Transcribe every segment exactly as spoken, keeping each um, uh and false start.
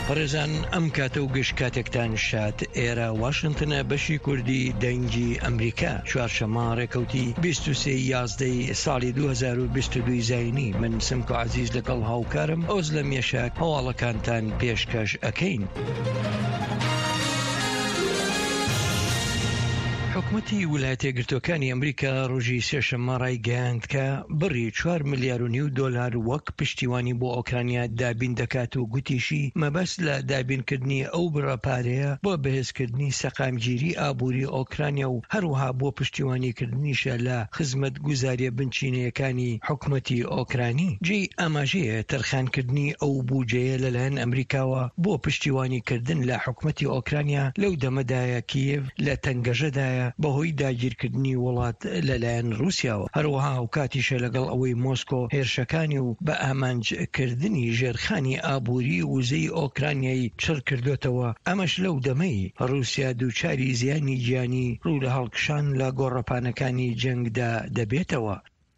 بەڕێزان، ئەم کاتە و گشت کاتێکتان شاد. ئێرە واشنتنە، بەشی کوردی دەنگی ئەمریکا. چوارشەممە، ڕێکەوتی بیست و سێ یازدەی ساڵی دوو هەزار و بیست و دوو زاینی. من سمکۆ عەزیز لەگەڵ هاوکارم ئۆزلە مێشاک هەواڵەکانتان پێشکەش ئەکەین. حکومەتی ویلایەتە یەکگرتووەکانی ئەمریکا ڕۆژی سێشەممە ڕایگەیاند کە بڕی چوار ملیار و نیو دۆلار وەک پشتیوانی بۆ ئۆکرانیا دابین دەکات و گوتیشی مەبەست لە دابینکردنی ئەو بڕە پارەیە بۆ بەهێزکردنی سەقامگیری ئابووری ئۆکرانیا و هەروەها بۆ پشتیوانیکردنیشە لە خزمەتگوزاریە بنچینەیەکانی حکومەتی ئۆکرانی. جێی ئاماژەیە تەرخانکردنی ئەو بودجەیە لەلایەن ئەمریکاوە بۆ پشتیوانیکردن لە حکومەتی ئۆکرانیا لەو دەمەدایە کیێڤ لە تەنگەژەدایە بەهۆی داگیرکردنی وڵات لەلایەن رووسیاوە. هەروەها ئەو کاتیشە لەگەڵ ئەوەی مۆسکۆ هێرشەکانی و بە ئامانجکردنی ژێرخانی ئابووری وزەی ئۆکرانیای چڕ کردوتەوە، ئەمەش لەو دەمەی رووسیا دووچاری زیانی گیانی ڕوو لە هەڵکشان لە گۆڕەپانەکانی جەنگدا دەبێتەوە.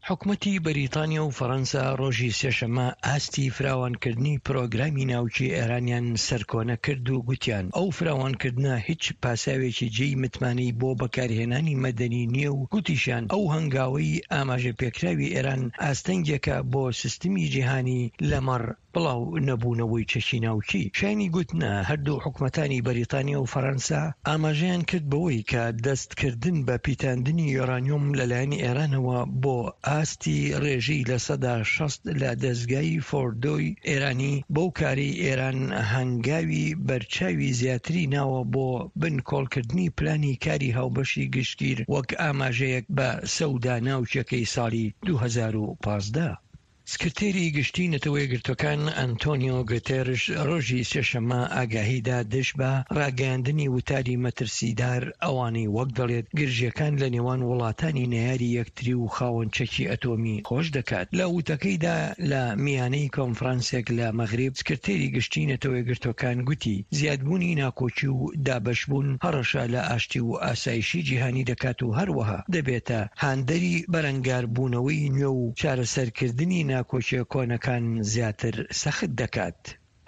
حکومەتی بەریتانیا و فەڕەنسا ڕۆژی سێشەممە ئاستی فراوانکردنی پرۆگرامی ناوکی ئێرانیان سەرکۆنە کرد و گوتیان ئەو فراوانکردنە هیچ پاساوێکی جێی متمانەی بۆ بەکارهێنانی مەدەنی نییە و گوتیشیان ئەو هەنگاوەی ئاماژە پێکراوی ئێران ئاستەنگێکە بۆ سیستمی جیهانی لەمەڕ بڵاو نەبوونەوەی چەکی ناوکی. شایانی گوتنە، هەردوو حکومەتانی بەریتانیا و فەڕەنسا ئاماژەیان کرد بەوەی کە دەستکردن بە پیتاندنی یۆرانیۆم لەلایەن ئێرانەوە بۆ ئاستی ڕێژەی لە سەدا شەست لە دەستگای فۆردۆی ئێرانی بەو کارەی ئێران هەنگاوی بەرچاوی زیاتری ناوە بۆ بنکۆڵکردنی پلانی کاری هاوبەشی گشتگیر وەک ئاماژەیەک بە سەودا ناوکیەکەی ساڵی دوو هەزار و پازدە. سکرتێری گشتی نەتەوە یەکگرتوەکان ئەنتۆنیۆ گوتێرش ڕۆژی سێشەممە ئاگاهیدا دژ بە ڕاگەیاندنی وتاری مەترسیدار ئەوانەی وەک دەڵێت گرژیەکان لە نێوان وڵاتانی نەیاری یەکتری و خاوەن چەکی ئەتۆمی خۆش دەکات. لە وتەکەیدا لە میانەی کۆنفرانسێک لە مەغریب، سکرتێری گشتی نەتەوە یەکگرتوەکان گوتی زیادبوونی ناکۆکی و دابەشبوون هەڕەشە لە ئاشتی و ئاسایشی جیهانی دەکات و هەروەها دەبێتە هاندەری بەرەنگاربوونەوەی نوێ و چارەسەرکردنی ناکۆکیە کۆنەکان زیاتر سەخت دەکات.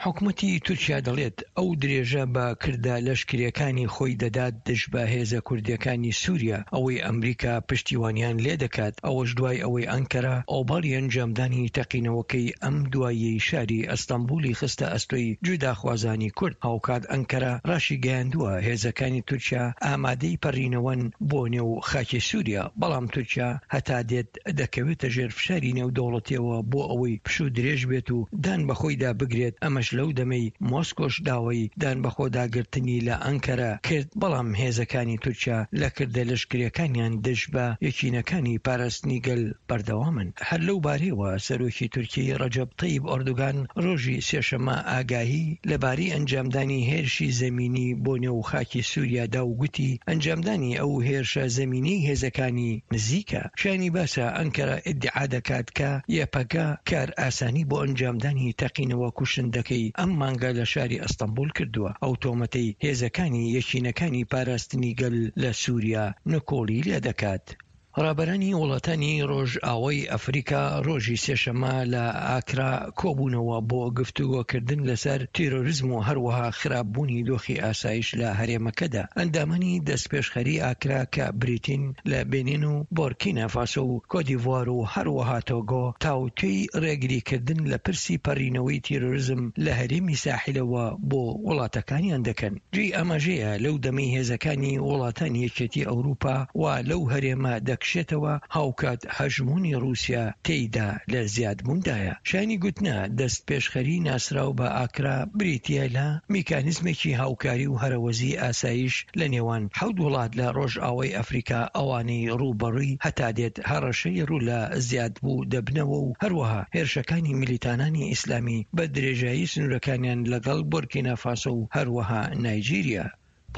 حکومەتی تورکیا دەڵێت ئەو درێژە بە کردە لەشکریەکانی خۆی دەدات دژ بە هێزە کوردیەکانی سووریا، ئەوەی ئەمریکا پشتیوانیان لێ دەکات. ئەوەش دوای ئەوەی ئەنکەرە ئۆباڵی ئەنجامدانی تەقینەوەکەی ئەم دواییەی شاری ئەستەنبولی خستە ئەستۆی جوداخوازانی کورد. هاوکات ئەنکەرە ڕاشی گەیاندووە هێزەکانی تورکیا ئامادەی پەڕینەوەن بۆ نێو خاکی سووریا، بەڵام تورکیا هەتا دێت دەکەوێتە ژێر فشاری نێودەوڵەتیەوە بۆ ئەوەی پشوو درێژ بێت و دان بە خۆیدا بگرێت. ئەمەش لەو دەمەی مۆسکۆش داوای دان بە خۆداگرتنی لە ئەنکەرە کرد، بەڵام هێزەکانی تورکیا لە کردە لەشکریەکانیان دژ بە یەکینەکانی پاراستنی گەل بەردەوامن. هەر لەو بارەیەوە سەرۆکی تورکی ڕەجەب تەیب ئۆردوگان ڕۆژی سێشەممە ئاگاهی لەبارەی ئەنجامدانی هێرشی زەمینی بۆ نێو خاکی سووریادا و گوتی ئەنجامدانی ئەو هێرشە زەمینی هێزەکانی نزیکە. شایانی باسە ئەنکەرە ئیدعا دەکات کە یەپەگە کار ئاسانی بۆ ئەنجامدانی تەقینەوە کوشندەکەی ئەم مانگە لە شاری ئەستەنبول کردووە. ئەو تۆمەتەی هێزەکانی یەکینەکانی پاراستنی گەل لە سووریا نکۆڵی لێ دەکات. ڕابەرانی وڵاتانی ڕۆژئاوای ئەفریقا ڕۆژی سێشەممە لە ئاکرا کۆبوونەوە بۆ گفتوگۆکردن لەسەر تیرۆریزم و هەروەها خراپبوونی دۆخی ئاسایش لە هەرێمەکەدا. ئەندامانی دەستپێشخەری ئاکرا کە بریتین لە بێنین و بۆرکینا فاسۆ و کۆدیڤوار و هەروەها تۆگۆ تاوتوێی ڕێگریکردن لە پرسی پەڕینەوەی تیرۆریزم لە هەرێمی ساحلەوە بۆ وڵاتەکانیان دەکەن. جێی ئاماژەیە لەو دەمەی هێزەکانی وڵاتانی یەکێتی ئەوروپا وا لەو هەرێمە دەکشێتەوە، هاوکات هەژموونی رووسیا تێیدا لە زیادبووندایە. شایانی گوتنە دەستپێشخەری ناسراو بە ئاکرا بریتیە لە میکانیزمێکی هاوکاری و هەرەوەزی ئاسایش لە نێوان حەوت وڵات لە ڕۆژئاوای ئەفریقا، ئەوانەی ڕووبەڕووی هەتا دێت هەڕەشەی ڕوو لە زیادبوو دەبنەوە و هەروەها هێرشەکانی میلیتانانی ئیسلامی بە درێژایی سنوورەکانیان لەگەڵ بۆرکینا فاسۆ و هەروەها نایجیریا.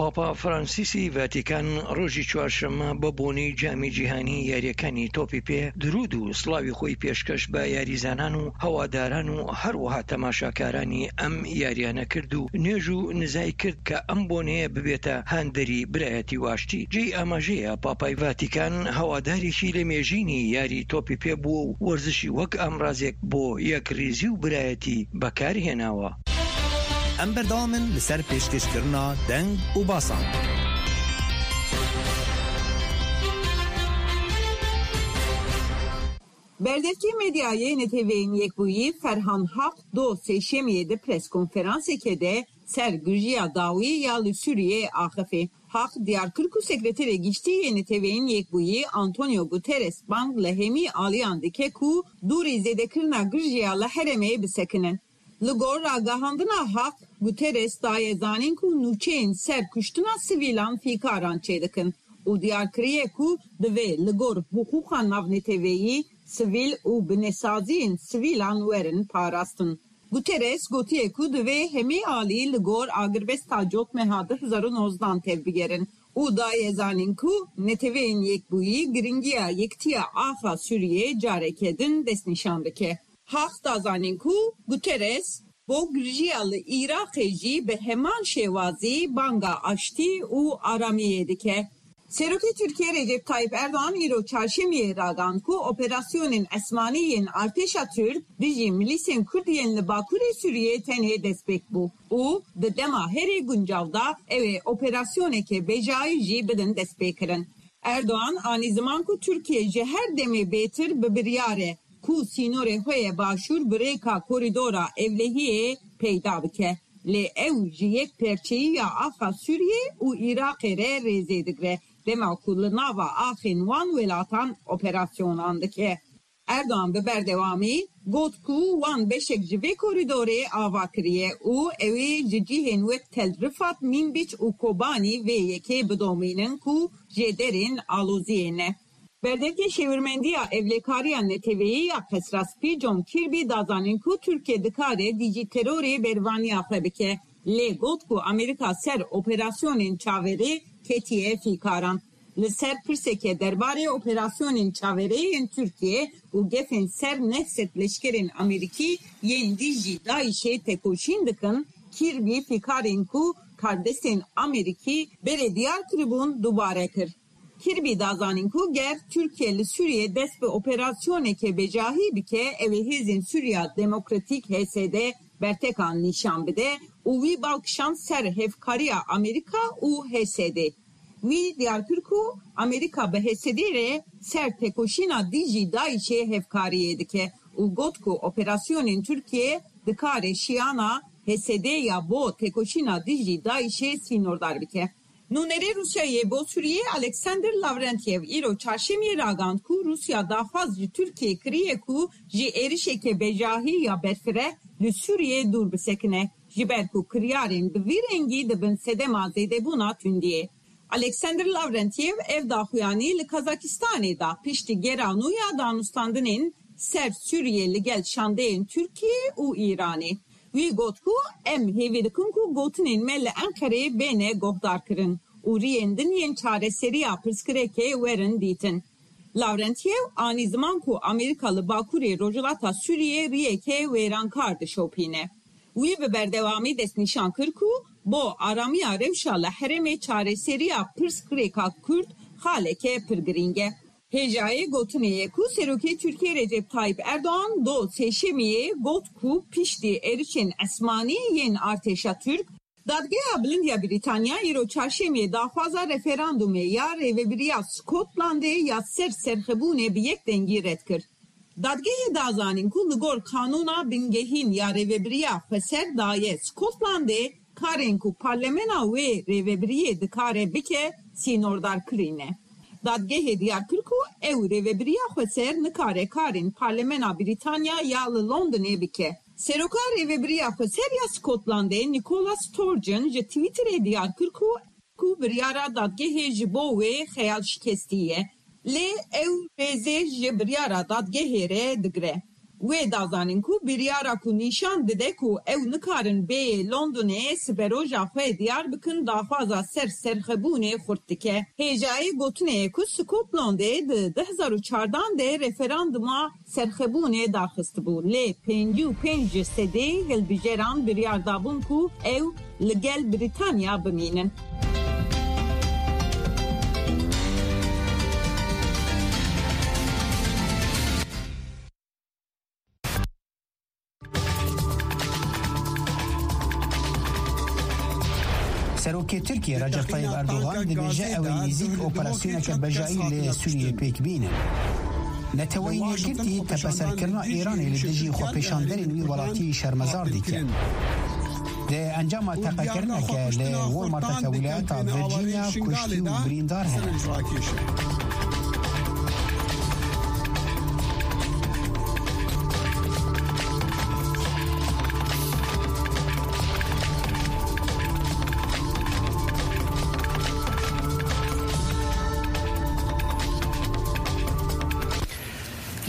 پاپا فرانسیسی ڤاتیکان ڕۆژی چوارشەممە بە بۆنەی جامی جیهانی یاریەکانی تۆپی پێ درود و سڵاوی خۆی پێشکەش بە یاریزانان و هەواداران و هەروەها تەماشاکارانی ئەم یاریانە کرد و نوێژ و نزای کرد کە ئەم بۆنەیە ببێتە هاندەری برایەتی واشتی. جێی ئاماژەیە پاپای ڤاتیکان هەوادارێکی لە مێژینی یاری تۆپی پێ بووە و وەرزشی وەک ئامرازێک بۆ یەکڕیزی و برایەتی بەکارهێناوە. Em berdewam in li ser pêşkêşkirina deng û basan. Berdevkê medyayê N T V'yên Yekbûyî Ferhan Haq do Sêşemiyê di preskonferanseke de ser girjiya dawî ya li Sûriyeyê axifî. Haq diyar kir ku Sekreterê Giştî yê N T V'yên Yekbûyî Antonio Guterres bang li hemî aliyan dike ku dûrî zêdekirina girjiya li herêmê bisekinin. Li gor ragihandina Haq, Guterres daye zanîn ku nûçeyên ser kuştina sivîlan fîkaran çêdikin û diyar kiriye ku divê li gor hiqûqa navneteweyî, sivîl û binesaziyên sivîlan werin parastin. Guterres gotiye ku divê hemî alî li gor agirbesta cotmeha du hezar û nozdan tevbigerin û daye zanîn ku Neteweyên Yekbûyî giringiya yekitiya axa Sûriyê careke din destnîşan dike. Haq da zanîn ku Guterres bo girjiya li Iraqê jî bi heman şêwazî banga aştî û aramiyê dike. Serokê Tirkiyê Recep Tayyip Erdogan îro çarşemiyê ragand ku operasyonên esmanî yên artêşa Tirk dijî milîsên Kurd yên li Bakurê Sûriyê tenê destpêk bû û di dema herî guncav de ew ê operasyoneke bejayî jî bidin destpêkirin. Erdogan anî ziman ku Tirkiye ji her demê bêtir bi biryar e ku sînorê xwe yê başûr bi rêka korîdora ewlehiyê peyda bike. Lê ew ji yekperçeyiya axa Sûriyê û Iraqê re rêzê digre, dema ku li nava axên wan welatan operasyonan dike. Erdogan bi berdewamî got ku wan beşek ji vê korîdorê ava kiriye û ew ê ji cihên wek Tel Rifat, Mînbîc û Kobanî vê yekê bidomînin ku jêderên aloziyê ne. Berdevkê Şêwirmendiya Ewlekariya Neteweyî ya Qesra Spî John Kirby da zanîn ku Tirkiye dikare dijî terorê bervaniya xwe bike, lê got ku Amerîka ser operasyonên çaverê ketiye fîkaran. Li ser pirseke derbarê operasyonên çaverê yên Tirkiye û gefên ser neh sed leşkerên Amerîkî yên dijî DAIŞ'ê tekoşîn dikin, Kirby fîkarên ku kardestên Amerîkî berê diyar kiribûn dubare kir. Kirby da zanîn ku ger Tirkiye li Sûriyê dest bi operasyoneke bejahî bike, ew ê Hêzên Sûriya Demokratîk, H S D, bertekan nîşan bide û wî bal kişand ser hevkariya Amerîka û H S D. Wî diyar kir ku Amerîka bi H S D re ser tekoşîna dijî DAIŞ'ê hevkariyê dike û got ku operasyonên Tirkiye dikare şiyana H S D ya bo tekoşîna dijî DAIŞ'ê sînordar bike. Nûnerê Rûsyayê bo Sûriyê Alexander Lavrentiev îro çarşemiyê ragand ku Rûsya daxwaz ji Tirkiyê kiriye ku ji êrişeke bejahî ya berfireh li Sûriyê dûr bisekine, ji ber ku kiryarên bi vî rengî dibin sedema zêdebûna tundiyê. Alexander Lavrentiev ev daxuyanî li Kazakistanê da piştî gera nû ya danûstandinên ser Sûriyê li gel şandeyên Tirkiyê û Îranê. Wî got ku em hêvî dikin ku gotinên me li Enqereyê bêne guhdarkirin û riyên din yên çareseriya pirsgirêkê werin dîtin. Lavrentiev anî ziman ku Amerîka li bakurê rojhilata Sûriyê riyeke wêrankar dişopîne. Wî bi berdewamî destnîşan kir ku bo aramiya rewşa li herêmê çareseriya pirsgirêka Kurd xaleke pir girîng e. Hêjayê gotinê ye ku Serokê Tirkiyê Recep Tayyip Erdogan do Sêşemiyê got ku piştî êrişên esmanî yên artêşa Tirk, Dadgeha Bilind ya Brîtanya îro Çarşemiyê daxwaza referandumê ya rêvebiriya Skotlandê ya ser serxebûnê bi yek dengî red kir. Dadgehê da zanîn ku li gor qanûna bingehîn ya rêvebiriya xweser daye Skotlandê karên ku parlemena wê rêvebiriyê dikare bike sînordar kirî ne. Dadgehê diyar kir ku ew rêvebiriya xweser nikare karên parlemena Brîtanya ya li Londonê bike. Seroka Rêvebiriya Xweser ya Skotlandê Nicola Sturgeon ji Twitterê diyar kir ku ku biryara dadgehê ji bo wê xeyalşikestî ye, lê ew rêzê ji biryara dadgehê re digre. Wê da zanîn ku biryara ku nîşan dide ku ew nikarin bêyê Londonê siberoja xwe diyar bikin, daxwaza ser serxebûnê xurt dike. Hêjayê gotinê ye ku Skotlandê di du hezar û çardan de referanduma serxebûnê daxistibû, lê pêncî û pênc ji sedê hilbijeran biryar dabûn ku ew li gel Brîtanya bimînin. Serokê Tirkiyê Recep Tayyip Erdogan dibêje ew ê nêzîk operasyoneke bejayî li Sûriyê pêk bînin. Neteweyên Yekgirtî tepeserkirina Îranê li dijî xwepêşanderên wî welatî şermezar dikin. Di encama teqekirineke li Walmarteke wîlayeta Virginia kuştî û birîndar hene.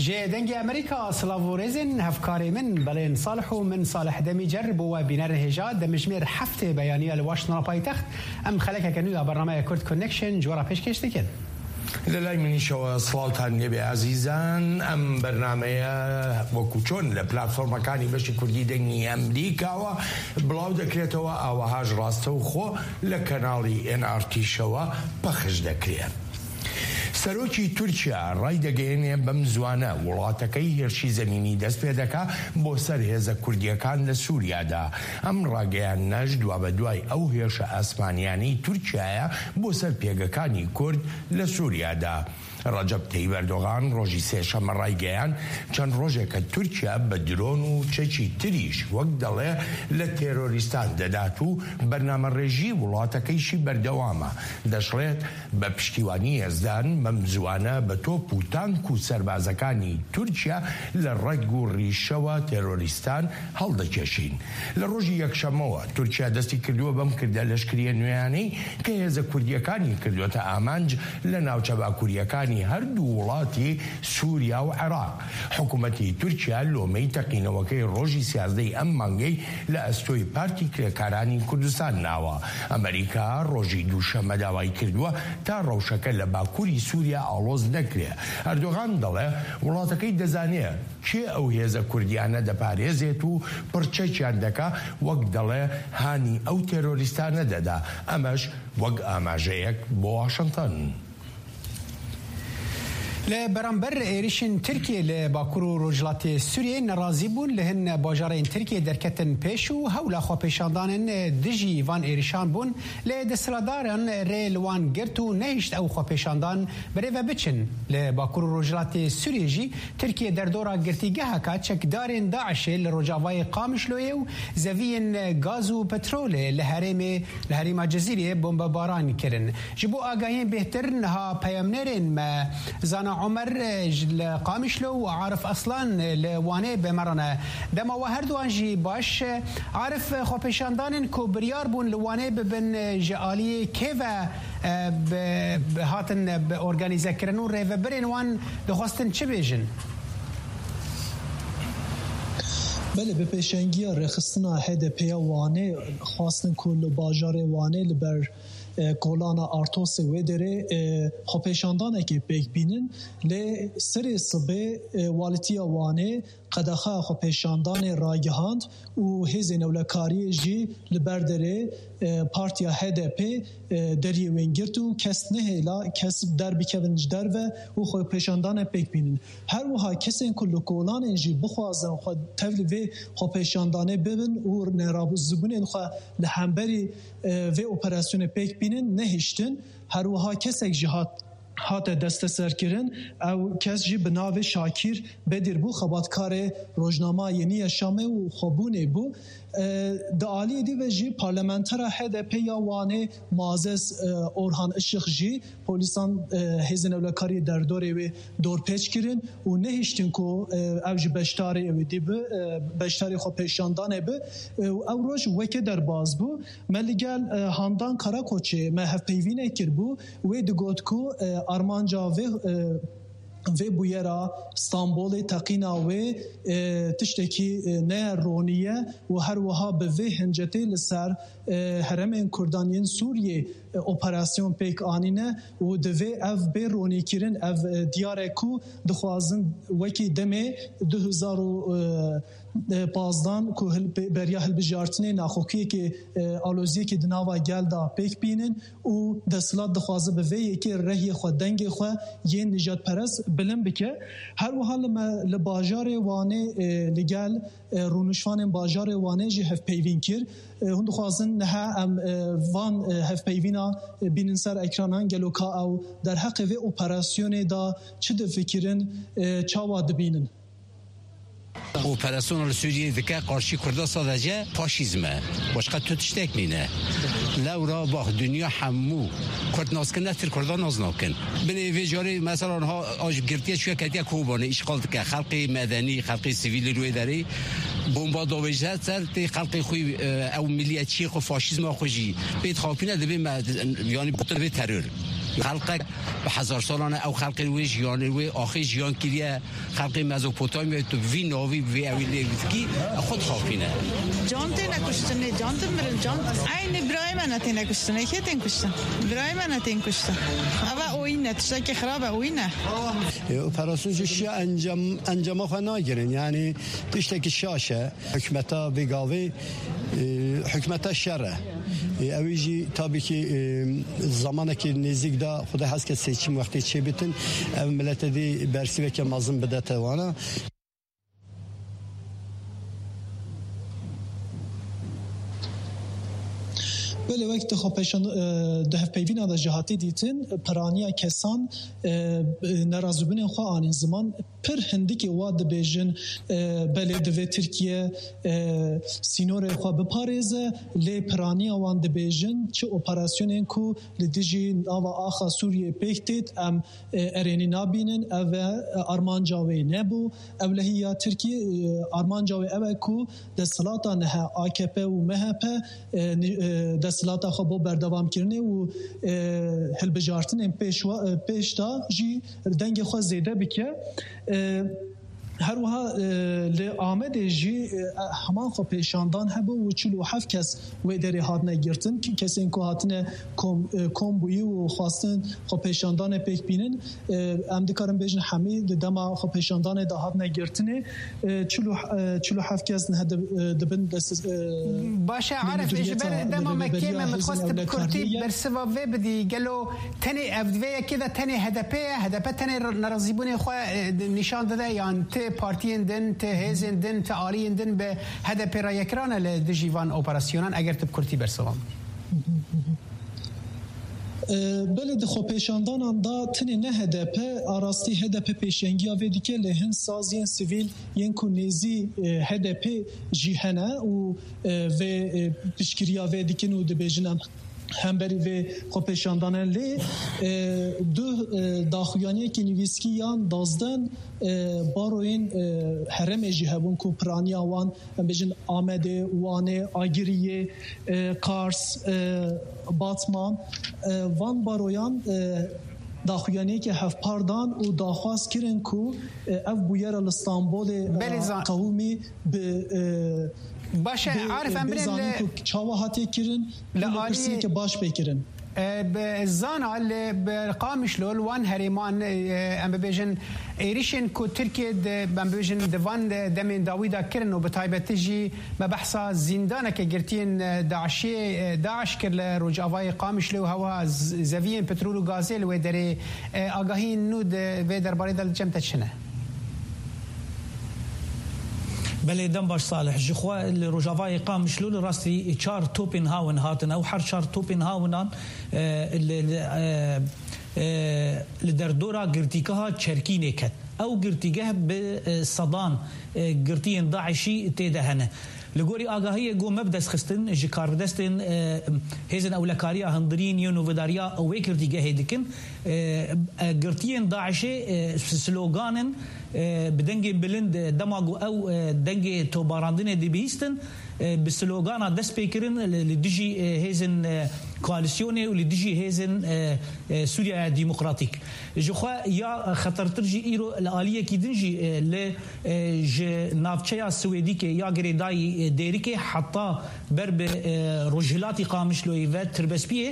Ji Dengê Amerîka silav û rêzên hevkarê min, belên Salih û min Salih Demîcer bo we bînerên hêja, demjimêr heftê beyaniya li Washingtona paytext. Em xelekeke nû ya bernameya Kurd Connection ji we re pêşkêş dikin. لە لای منیشەوە سڵاوتان لێبێ ئازیزان. ئەم بەرنامەیە وەکو چۆن لە پلاتفۆرمەکانی بەشی کوردی دەنگی ئەمریکاوە بڵاو دەکرێتەوە، ئاوەهاش ڕاستەوخۆ لە کەناڵی ئێن ئار تیشەوە پەخش دەکرێت. سەرۆکی تورکیا ڕایدەگەیەنێ بەم زوانە وڵاتەکەی هێرشی زەمینی دەست پێ دەکا بۆ سەر هێزە کوردیەکان لە سووریادا. ئەم ڕاگەیاندنەش دوا بە دوای ئەو هێرشە ئاسمانیانەی تورکیایە بۆ سەر پێگەکانی کورد لە سووریادا. ڕەجەب تەیب ئەردۆغان ڕۆژی سێشەممە ڕایگەیاند، چەند ڕۆژێکە تورکیا بە درۆن و چەکی تریش، وەک دەڵێ، لە تێرۆریستان دەدات و بەرنامەڕێژی وڵاتەکەیشی بەردەوامە. دەشڵێت، بە پشتیوانی یەزدان بەم زوانە بە تۆپ و تانک و سەربازەکانی تورکیا لە ڕەگ و ڕیشەوە تێرۆریستان هەڵدەکێشین. لە ڕۆژی یەکشەممەوە تورکیا دەستی کردووە بەم کردە لەشکریە نوێیانەی کە هێزە کوردیەکانی کردووەتە ئامانج لە ناوچە باکووریەکانی هەردوو وڵاتی سووریا و عێراق. حکوومەتی تورکیا لۆمەی تەقینەوەکەی ڕۆژی سیازدەی ئەم مانگەی لە ئەستۆی پارتی کرێکارانی کوردستان ناوە. ئەمریکا ڕۆژی دووشەممە داوای کردووە تا ڕەوشەکە لە باکووری سووریا ئاڵۆز نەکرێ. ئەردۆغان دەڵێ وڵاتەکەی دەزانێ کێ ئەو هێزە کوردیانە دەپارێزێت و پڕچەکیان دەکا، وەک دەڵێ هانی ئەو تێرۆریستانە دەدا. ئەمەش وەک ئاماژەیەک بۆ واشنگتن. Li beramber êrişên Tirkiyê li Bakur û Rojhilatê Sûriyê nerazî bûn, li hin bajarên Tirkiyê derketin pêş û hewla xwepêşandanên dijî van êrişan bûn, lê desthilatdaran rê li wan girt û nehişt ew xwepêşandan bi rê ve biçin. Li Bakur û Rojhilatê Sûriyê jî Tirkiye derdora girtîgeheka çekdarên DAIŞê li rojavayê Qamişloyê û zeviyên gaz û petrolê li herêmê, li herêma Cizîrê bombebaran kirin. Ji bo agahiyên bêhtir, niha peyamnêrên me Zana Omer, e, ji, li Qamişlo û Arif Aslan, e, li Wanê bi me re ne. Dema we herduwan jî baş. E, Arif, e, xwepêşandanên ku biryar bûn li Wanê bibin, e, ji aliyê kê ve, e, bi, bi hatin, e, bi organîzekirin û rêvebirên wan dixwestin çi bêjin? Belê, bi pêşengiya rêxistina H D P ya Wanê xwestin ku li bajarê Wanê li ber e, kolana Artosê wê derê, e, xwepêşandanekê pêk bînin. Lê serê sibê, e, Walîtiya Wanê qedexa xwepêşandanê ragihand û hêzên ewlekariyê jî li ber derê, e, partiya H D P, e, deriyê wê girt û kes nehêla kes derbikevin ji derve û xwepêşandane pêk bînin. Her wiha kesên ku li kolanên jî bixwazin xwe tevlî vê xwepêşandanê bibin û nerazîbûnên xwe li hemberî e, vê operasyonê pêk bînin nehiştin. Her wiha kesek jî hat, hate desteserkirin. Ew kes jî bi navê Şakîr Bedir bû, xebatkarê rojnama Yeniye Şamê û xwebûnê bû. E, di aliyê dî ve jî parlamentera H D P ya Wanê Muazzez, e, Orhan Işık jî polîsan, e, hêzên ewlekariyê derdorê wê dorpêç kirin û nehiştin ku, e, ev ji beşdarê wê dî bi, e, beşdarê xwepêşandanê bi, e, û ew roj weke derbas bû. Me li gel, e, Handan Karakoçê me hevpeyvînek kiribû. Wê digot ku, e, armanca vê, e, vê bûyera Stenbolê teqîna wê, e, tiştekî, e, ne ronî ye û her wiha bi vê hincetê li ser, e, herêmên Kurdan yên Sûriyê, e, operasyon pêk anîne û divê ev bê ronîkirin, ev, e, diyar e ku dixwazin wekî demê du hezar û, e, e, pazdan ku hilbi-, beriya hilbijartinê naxokiyekê, e, aloziyekê di nava gel de pêk bînin û desthilat dixwaze bi vê yekê rehiyê xwe, dengê xwe yên nijadperest bilind bike. Her wiha li me, li bajarê Wanê, e, li gel, e, rûnişvanên bajarê Wanê jî hevpeyvîn kir. E, hûn dixwazin niha em, e, van, e, hevpeyvîna, e, bînin ser ekranan, gelo ka ew derheqê vê operasyonê de çi difikirin, e, çawa dibînin? Operasyona li Sûriyeyê dike qarşî Kurda sadece faşîzm e. Başqa tu tiştek nîne. Lewra bax, dinya hemû Kurd nas kin, ne tir Kurda nas nakin. Binê vê carê mesela niha a ji girtiye çûye ketiye Kobanê, îşxal dike. Xelkê medenî, xelkê sivîl li wê derê bomba davêje ser tê xelkê xwe, e, ew miliyetçiyê xwe, faşîzma xwe jî pê dixapîne, dibê me, yanî, bê terör. Xelqek bi hezar salan e ew xelkê wê jiyanê wê axê jiyan kiriye. Xelkê Mezopotamyayê tu vî navî vê ewî lê dikî, xwe dixapîne. Can têne kuştin, nê can tê mirin, can. Eynî birayê me ne têne kuştin, ê kê tên kuştin? Birayê me ne tên kuştin. Eva oyîn e, tiştekî xirab e, oyîn e. E, operasyon jî şiya encam, encama xwe nagirin. Yani tiştekî şaş e. Hikmeta vê gavê, e, hikmeta şer e. E, ew jî tabii ki, e, zamanekî nêzîk de Xuda hez ke seçim wextê çêbitin, ev milete dî bersîveke mezin bidete wana. Belê, wek di xwepêşan-, e, di hevpeyvîna de jî hatî dîtin, piraniya kesan, e, nerazîbûnên xwe anîn ziman. Pir hindikê wa dibêjin, e, belê divê Tirkiye, e, sînorê xwe biparêze, lê piraniya wan dibêjin, çi operasyonên ku li dijî nava axa Sûriyê pêk têt, em, e, erênî nabînin, ev e, e, armanca wê nebû. Ewlehiya Tirkiyê, e, armanca wê ew e ku desthilata niha A K P û M H P, e, ni-, e, desthilata xwe bo berdewamkirinê û, e, hilbijartinên pêşwa-, e, pêş de jî dengê xwe zêde bike. E, her wiha, e, li Amedê jî, e, heman xwepêşandan hebû û çil û heft kes wê derê hatine girtin. Ki-, kesên ku hatine kom, e, kom bûyî û xwestin xwepêşandanê pêk bînin, e, em dikarin bêjin hemî di dema xwepêşandanê de hatine girtinê, e, çil û, e, çil û heft kes niha di-, e, dibin dest, e, Baş e, Arif, ji ber dema me kêm e, min dixwest tu bi kurtî bersiva vê bidî. Gelo tenê ev di vê yekê de tenê H D P ye? H D P tenê nerazîbûnê xwe, e, nîşan dide, yan ti partiyên din, ti hêzên din, ti aliyên din bi H D P re yekirane li dijî van operasyonan, eger tu bi kurtî bersiva min? E, belê di xwepêşandanan de tenê ne H D P, a rastî H D P pêşengiya vê dike, lê hin saziyên sivîl yên ku nêzî, e, H D P jî hene û, e, vê, e, piştgiriya vê dikin û dibêjin em hemberî vê xwepêşandanan lê, e, du, e, daxuyaniyekî nivîskî yan dazden, e, baroyên, e, herêmê jî hebûn ku piraniya wan, em bêjin Amedê, Wanê, Agiriyê, e, Qars, e, Batman, e, van baroyan, e, daxuyaniyeke hevpar dan û daxwaz kirin ku, e, ev bûyera li Stenbolê, e, Belê zan- qewimî bi, e, Baş e, bi, Arif, em bi birên zanîn li ku çawa hatiye kirin, Li û li alî- pirsiyeke baş pê kirin. E, bi zana li, bi Qamişlo, li wan herêman, e, em bibêjin, êrişên ku Tirkiye di, em bibêjin, di van de demên dawî de kirin û bi taybetî jî me behsa zîndaneke girtiyên, e, DAIŞê, e, DAIŞ kir li rojavayê Qamişlo û hewa z-, zeviyên petrol û gazê li wê derê, e, agahiyên nû di vê derbarê de li cem te çi ne? Belê, dem baş Salih. Ji xwe li rojavayê Qamişlo li rastî çar topên hawin hatin. Ew her çar topên hawinan, e, li, li, e, e, li derdora girtîgeha Çerkînê ket. Ew girtîgeh bi, e, sedan, e, girtiyên DAIŞî tê de hene. Li gorî agahiyê ku me bi dest xistin ji karbidestên, e, hêzên ewlekariya hundirîn yên nûvedariya wê girtîgehê dikin, e, e, girtiyên DAIŞê, e, s-, slogan in, e, bi dengên bilind, e, dema ku ew, e, dengê toparandinê dibihîstin, e, bi slogana dest pê kirin li, li dijî, e, hêzên, e, koalîsyonê û li dijî hêzên, e, e, Sûriyeya Demokratîk. Ji xwe ya xetertir jî îro li aliyekî din jî, e, li, e, ji navçeya Swêdîkê ya girêdayî, e, Dêrikê heta ber bi, e, rojhilatî Qamişloyê ve Tirbespiyê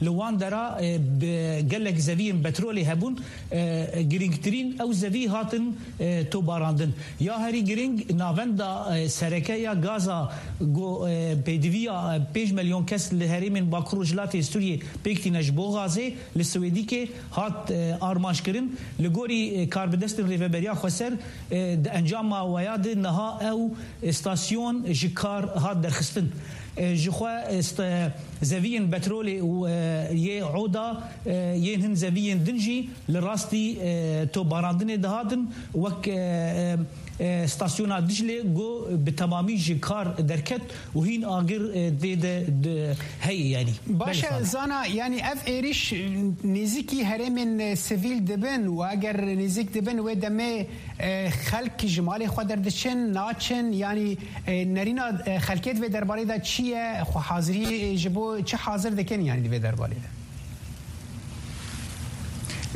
li wan dera, e, bi gelek zeviyên petrolê hebûn, e, girîngtirîn ew zevî hatin, e, tobarandin. Ya herî girîng navenda, e, sereke ya gaza ku, e, pêdiviya, e, pênc milyon kes li herêmên Bakur Rojhilatê Sûriyê pêk tîne ji bo gazê li Swêdîkê hat, e, armanc kirin. Li gorî, e, karbidestên Rêveberiya Xweser, e, di encama weya de niha ew, e, stasyon ji kar hat derxistin. E, ji xwe, e, st-, zeviyên petrolê û, e, yê oda, e, yên hin zeviyên din jî li rastî, e, tobarandinê dihatin, wek, e, e, e, stasyona Diclê ku bi temamî ji kar derket û hîn agir, e, tê de, de heye, yanî. Baş e, Belê, Salih. Zana, yanî ev êrîş nêzîkî herêmên, e, sivîl dibin û eger nêzîk dibin wê demê, e, xelk ji malê xwe derdiçin, naçin, yanî, e, nerîna, e, xelkê di vê derbarê de çi ye? Xwe hazirî, e, ji bo çi hazir dikin, yanî di vê derbarê de?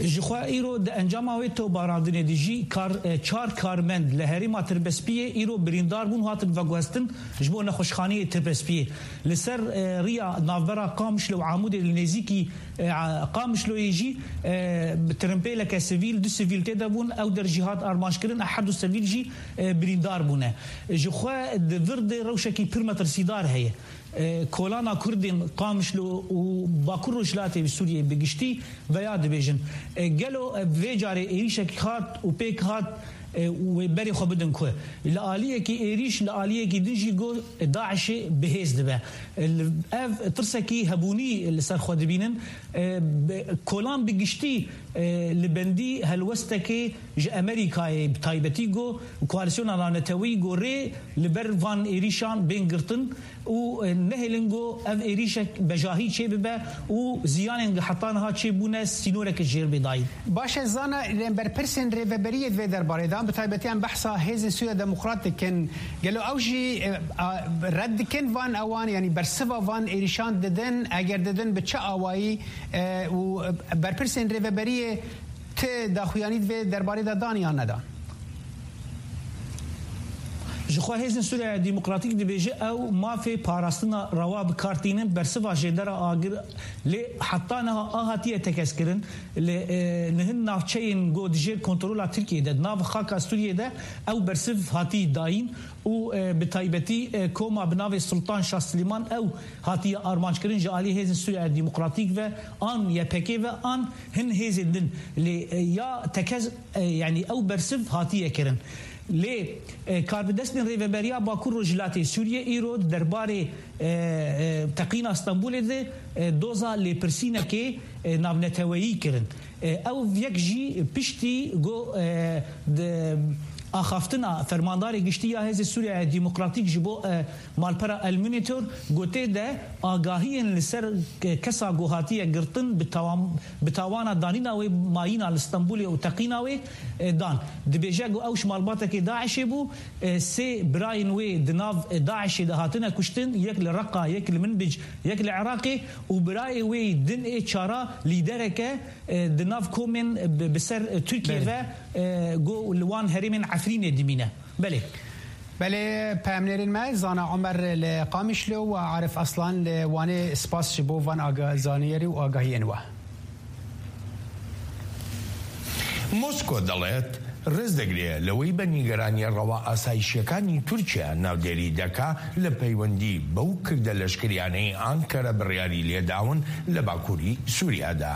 Ji xwe îro di encama wê tobarandinê de jî kar, e, çar karmend li herêma Tirbespiyê îro birîndar bûn, hatin veguhestin ji bo nexweşxaneyê Tirbespiyê. Li ser, e, riya navbera Qamişlo û Amûdê li nêzîkî, e, a-, Qamişloyê jî, e, bi tirimpêleke sivîl, du sivîl tê de bûn, ew der jî hat armanckirin, her du sivîl jî, e, birîndar bûne. Ji xwe di vir de rewşekî pir metirsîdar heye. E, kolana Kurdên Qamişlo û Bakur Rojhilatê Sûriyê bi giştî veya dibêjin, e, gelo, e, vê carê êrîşek hat û pêk hat, e, wê berê xwe bidin ku li aliyekî êrîş, li aliyekî din jî ku DAIŞê bi hêz dibe. E, li, ev tirsekî hebûnî li ser xwe dibînin. E, bi, kolan bi giştî, e, li bendî helwestekê ji Amerîkayê bi taybetî ku koalîsyona navneteweyî ku rê li ber van êrîşan bên girtin û, e, nehêlin ku ev êrîşek bejahî çêbibe û ziyanên heta niha çêbûne sînoreke jêr bê dayîn. Baş e, Zana, berpirsên rêveberiyê di vê derbarê de, bi taybetî em behsa Hêzên Sûriya Demokrat dikin. Gelo ew jî, e, a, red dikin van ewan, yanî bersiva van êrîşan didin, eger didin bi çi awayî, e, û berpirsên rêveberiyê ti daxuyanî di vê derbarê de dan yan nedan? Ji xwe Hêzên Sûriya Demokratîk dibêje ew mafê parastina rewa bi kar tînin, bersiva jêdera agir, lê heta niha a hatiye tekez kirin. Li, e, nihin navçeyên ku di jêr kontrola Tirkiyê de, di nav xaka Sûriyê de ew bersiv hatî dayîn û, e, bi taybetî, e, koma bi navê Sultan Şah Silîman ew hatiye armanc kirin ji alî Hêzên Sûriya Demokratîk ve an Y P G ve an hin hêzên din. Lê, e, ya tekez, e, yanî ew bersiv hatiye kirin. Lê, e, karbidestên Rêveberiya Bakur Rojhilatê Sûriyê îro di derbarê, e, e, teqîna Stenbolê de, e, doza lêpirsînekê, e, navneteweyî kirin. E, ew yek jî piştî ku, e, di axaftina Fermandarê Giştî ya Hêzê Sûriya Demokratîk ji bo, e, malpera El Monitor, ku tê de agahiyên li ser, e, kesa ku hatiye girtin bi tawam-, bi tawana danîna wê mayîna li Stenbolê û teqîna wê, e, dan. Dibêje ku ew ji malbatekê DAIŞê bû, e, sê birayên wê di nav, e, DAIŞê de hatine kuştin, yek li Reqa, yek li Minbic, yek li Iraqê û birayê wê din ê çara lîdereke, e, di nav komên bi, bi ser, e, Tirkiye Belê. ve, e, ku li wan herêmên Efrînê dimîne. Belê. Belê, peyamnêrên me, Zana Omer li Qamişlo û Arif Aslan li Wanê, spas ji bo van aga-, zaniyerî û agahiyên we. مۆسکۆ دەڵێت ڕێز دەگرێت لەوەی بە نیگەرانیە ڕەوا ئاسایشیەکانی تورکیا ناودێری دەکا لە پەیوەندی بەو کردە لەشکریانەی ئانکەرە بڕیاری لێداون لە باکووری سووریادا.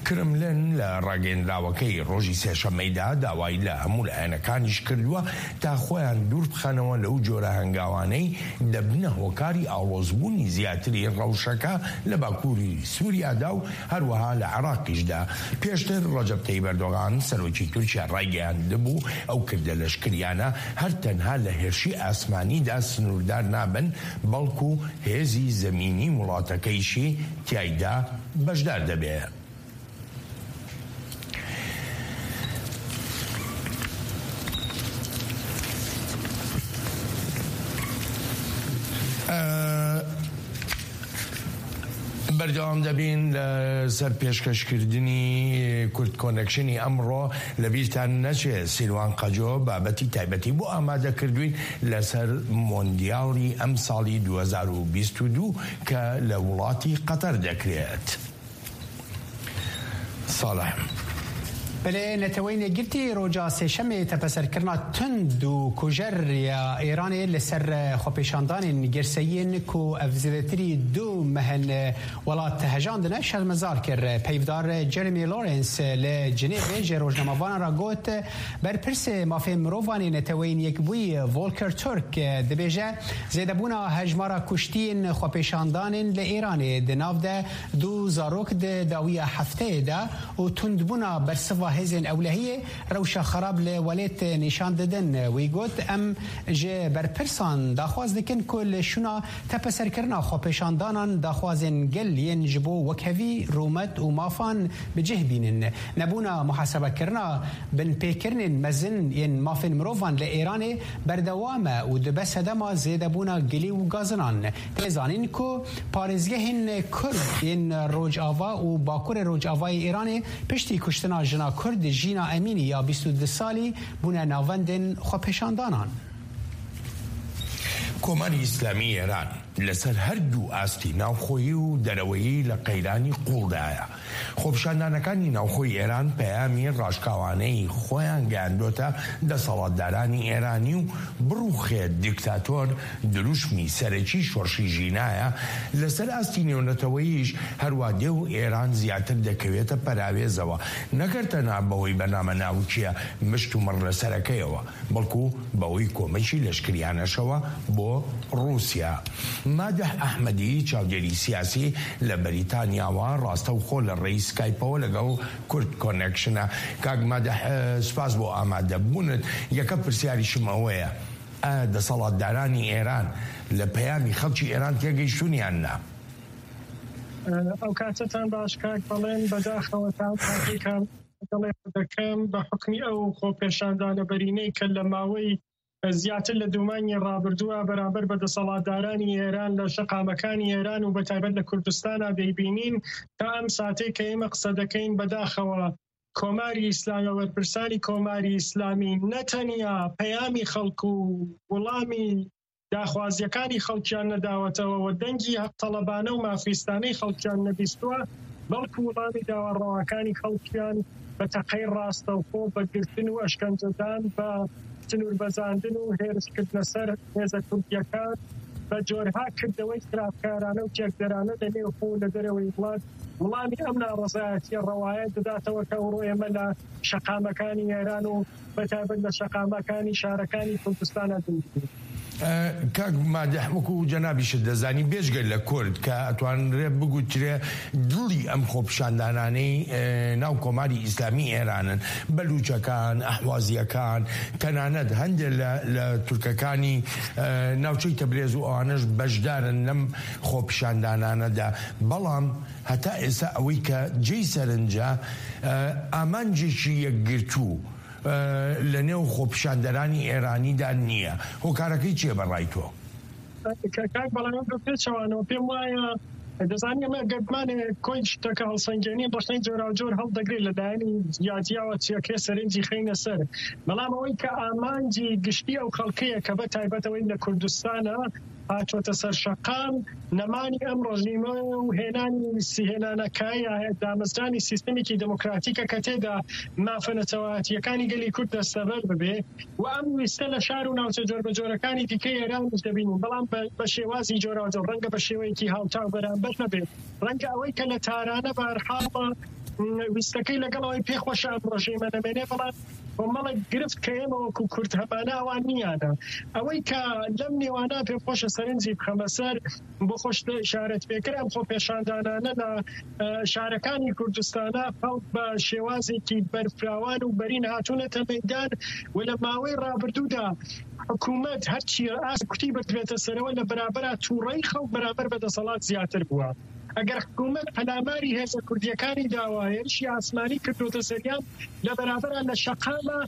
کرملن لە ڕاگەیەندراوەکەی ڕۆژی سێشەممەیدا داوای لە هەموو لایەنەکانیش کردووە تا خۆیان دوور بخەنەوە لەو جۆرە هەنگاوانەی دەبنە هۆکاری ئاڵۆزبوونی زیاتری ڕەوشەکە لە باکووری سووریادا و هەروەها لە عێراقیشدا. پێشتر ڕەجەب تەیب ئەردۆغان، سەرۆکی تورکیا، ڕایگەیاندبوو ئەو کردە لەشکریانە هەر تەنها لە هێرشی ئاسمانیدا سنووردار نابن، بەڵکو هێزی زەمینی وڵاتەکەیشی تیایدا بەشدار دەبێت. بەردەوام دەبین لە سەر پێشکەشکردنی کورد کۆنەکشنی ئەمڕۆ. لە بیرتان نەچێ، سیروان قەجۆ بابەتی تایبەتی بۆ ئامادە کردوین لەسەر مۆندیاڵی ئەم ساڵی دوو هەزار و بیست و دوو کە لە وڵاتی قەتەر دەکرێت. ساڵح. Belê, Neteweyên Yekgirtî roja Sêşemê tepeserkirina tund û kujer ya Îranê li ser xwepêşandanên girseyî yên ku ev zêdetirî du meh in welat hejandine, şermezar kir. Peyvdar Jeremy Lawrence li Cinêvê ji rojnamevanan re got, berpirsê mafê mirovan ê Neteweyên Yekbûyî Volker Türk dibêje, zêdebûna hejmara kuştiyên xwepêşandanên li Îranê di nav de du zarok di dawiya hefteyê de û tundbûna bersiva hêzên ewlehiyê rewşa xerab li welêt nîşan didin. Wî got, em ji berpirsan daxwaz dikin ku li şûna tepeserkirina xwepêşandanan daxwazên gel yên ji bo wekhevî, rûmet û mafan bi cih bînin. Nebûna muhasebekirina binpêkirinên mezin yên mafên mirovan li Îranê berdewam e û dibe sedema zêdebûna gilî û gazinan. Tê zanîn ku parêzgehên Kurd yên Rojava û Bakurê Rojavayê Îranê piştî kuştina jina Kurd Jîna Emînî ya bîst û du salî bûne navendên xwepêşandanan. کۆماری ئیسلامی ئێران لەسەر هەردوو ئاستی ناوخۆیی و دەرەوەیی لە قەیرانی قوڵدایە. خۆپیشاندانەکانی ناوخۆی ئێران پەیامی ڕاشکاوانەی خۆیان گەیاندۆتە دەسەڵاتدارانی ئێرانی و بڕوخێ دیکتاتۆر دروشمی سەرەکی شۆڕشی ژینایە. لەسەر ئاستی نێونەتەوەییش هەروە دێ و ئێران زیاتر دەکەوێتە پەراوێزەوە، نەکەر تەنها بەوەی بەنامە ناوکیە مشت و مڕ لەسەرەکەیەوە، بەڵکو بەوەی کۆمەکی لەشکریانەشەوە بۆ ڕووسیا. مادح ئەحمەدی، چاودێری سیاسی لە بەریتانیاوە، ڕاستەوخۆ لە ڕێی سکایپەوە لەگەڵ کورد کۆنێکشنە. کاک مادح، سوپاس بۆ ئامادەبوونت. یەکە پرسیاریشم ئەوەیە، ئایا دەسەڵاتدارانی ئێران لە پەیامی خەڵکی ئێران تێگەیشتوونیان نا؟ ئەو کاتتان باش کاک، بەڵێن بەداخەوە تا ئەو کاتێک کە دەڵێ دەکەم بە حکمی ئەو خۆپێشاندانە بەرینەی کە لە ماوەی زیاتر لە دوو مانگی ڕابردووە بەرامبەر بە دەسەڵاتدارانی ئێران لە شەقامەکانی ئێران و بە تایبەت لە کوردستانا دەیبینین. تا ئەم ساتەی کە ئێمە قسە دەکەین بەداخەوە کۆماری ئیسلامی و وەرپرسانی کۆماری ئیسلامی نەتەنیا پەیامی خەڵک و وڵامی داخوازیەکانی خەڵکیان نەداوەتەوە و دەنگی هەق تەڵەبانە و مافیستانەی خەڵکیان نەبیستووە، بەڵکو وڵامی داواڕەواکانی خەڵکیان بە تەقەی ڕاستەوخۆ بە گرتن و ئەشکەنجەدان، بە سنوور بەزاندن و هێرشکردنە سەر هێزە کوردیەکان، بە جۆرها کردەوەی خراپکارانە و تێکدەرانە لە نێو خۆ و لە دەرەوەی وڵات وڵامی ئەم ناڕەزایەتیە ڕەوایە دەداتەوە کە ئەوڕۆ ئێمە لە شەقامەکانی ئێران و بە تایبەت لە شەقامەکانی شارەکانی کوردستانە دەیبین. کاک مادح، وەکو جەنابیشت دەزانی، بێژگە لە کورد کە ئەتوانرێ بگوترێ دڵی ئەم خۆپیشاندانانەی ناو کۆماری ئیسلامی ئێرانن، بەلوچەکان، ئەحوازیەکان، تەنانەت هەندێک لە تورکەکانی ناوچەی تەبرێز و ئەوانەش بەشدارن لەم خۆپیشاندانانەدا. بەڵام هەتا ئێستا ئەوەی کە جێی سەرنجە، ئامانجێکی یەکگرتوو لە نێو خۆپیشاندەرانی ئێرانیدا نییە. هۆکارەکەی چییە بەڕای تۆ؟ کاک بەڵام بە پێچەوانەوە پێم وایە، دەزانین ئەمە گەرمانێ کۆی شتەکە هەڵسەنگێنی بەشەی جۆراوجۆر هەڵدەگرێت لە لایەنی جیاجیاوە چیەکرێ سەرنجی خینە سەر. بەڵام ئەوەی کە ئامانجی گشتی ئەو خەڵکەیە کە بە تایبەتەوەی لە کوردستانە هاتووەتە سەر شەقام، نەمانی ئەم ڕژیمە و هێنانی سیهێنانەکایە دامەزرانی سیستمێکی دموکراتیکە کە تێدا مافە نەتەوایەتیەکانی گەلی کورد دەستەبەر ببێ و ئەم ویستە لە شار و ناوچە جۆربەجۆرەکانی دیکەی ئێرانیش دەبینین، بەڵام بە شێوازی جۆراوجۆر، ڕەنگە بە شێوەیەکی هاوتا و بەرامبەر نەبێت، ڕەنگە ئەوەی کە لە تارانە بە هەرحاڵە ویستەکەی لەگەڵ ئەوەی پێخۆشە ئەم ڕژیمە نەمێنێ، بەڵام کۆمەڵێک گرفت کە ئێمە وەکو کورد هەمانە ئەوان نیانە. ئەوەی کە لەم نێوانە پێخۆشە سەرنجی بخەمە سەر، بۆ خۆش ئشارەت پێکرد، ئەم خۆپێشاندانانە لە شارەکانی کوردستانە خەڵک بە شێوازێکی بەرفراوان و بەرین هاتوونەتە مەیدان و لە ماوەی ڕابردوودا حکوومەت هەرچی ئاست کوتی بردبێتە سەرەوە لە بەرابەرا تووڕەی خەڵک بەرامبەر بە دەسەڵات زیاتر بووە. ئەگەر حکوومەت پەلاماری هێزە کوردیەکانی داوە، هێرشی ئاسمانی کردوتە سەریان، لە بەرابەرا لە شەقامە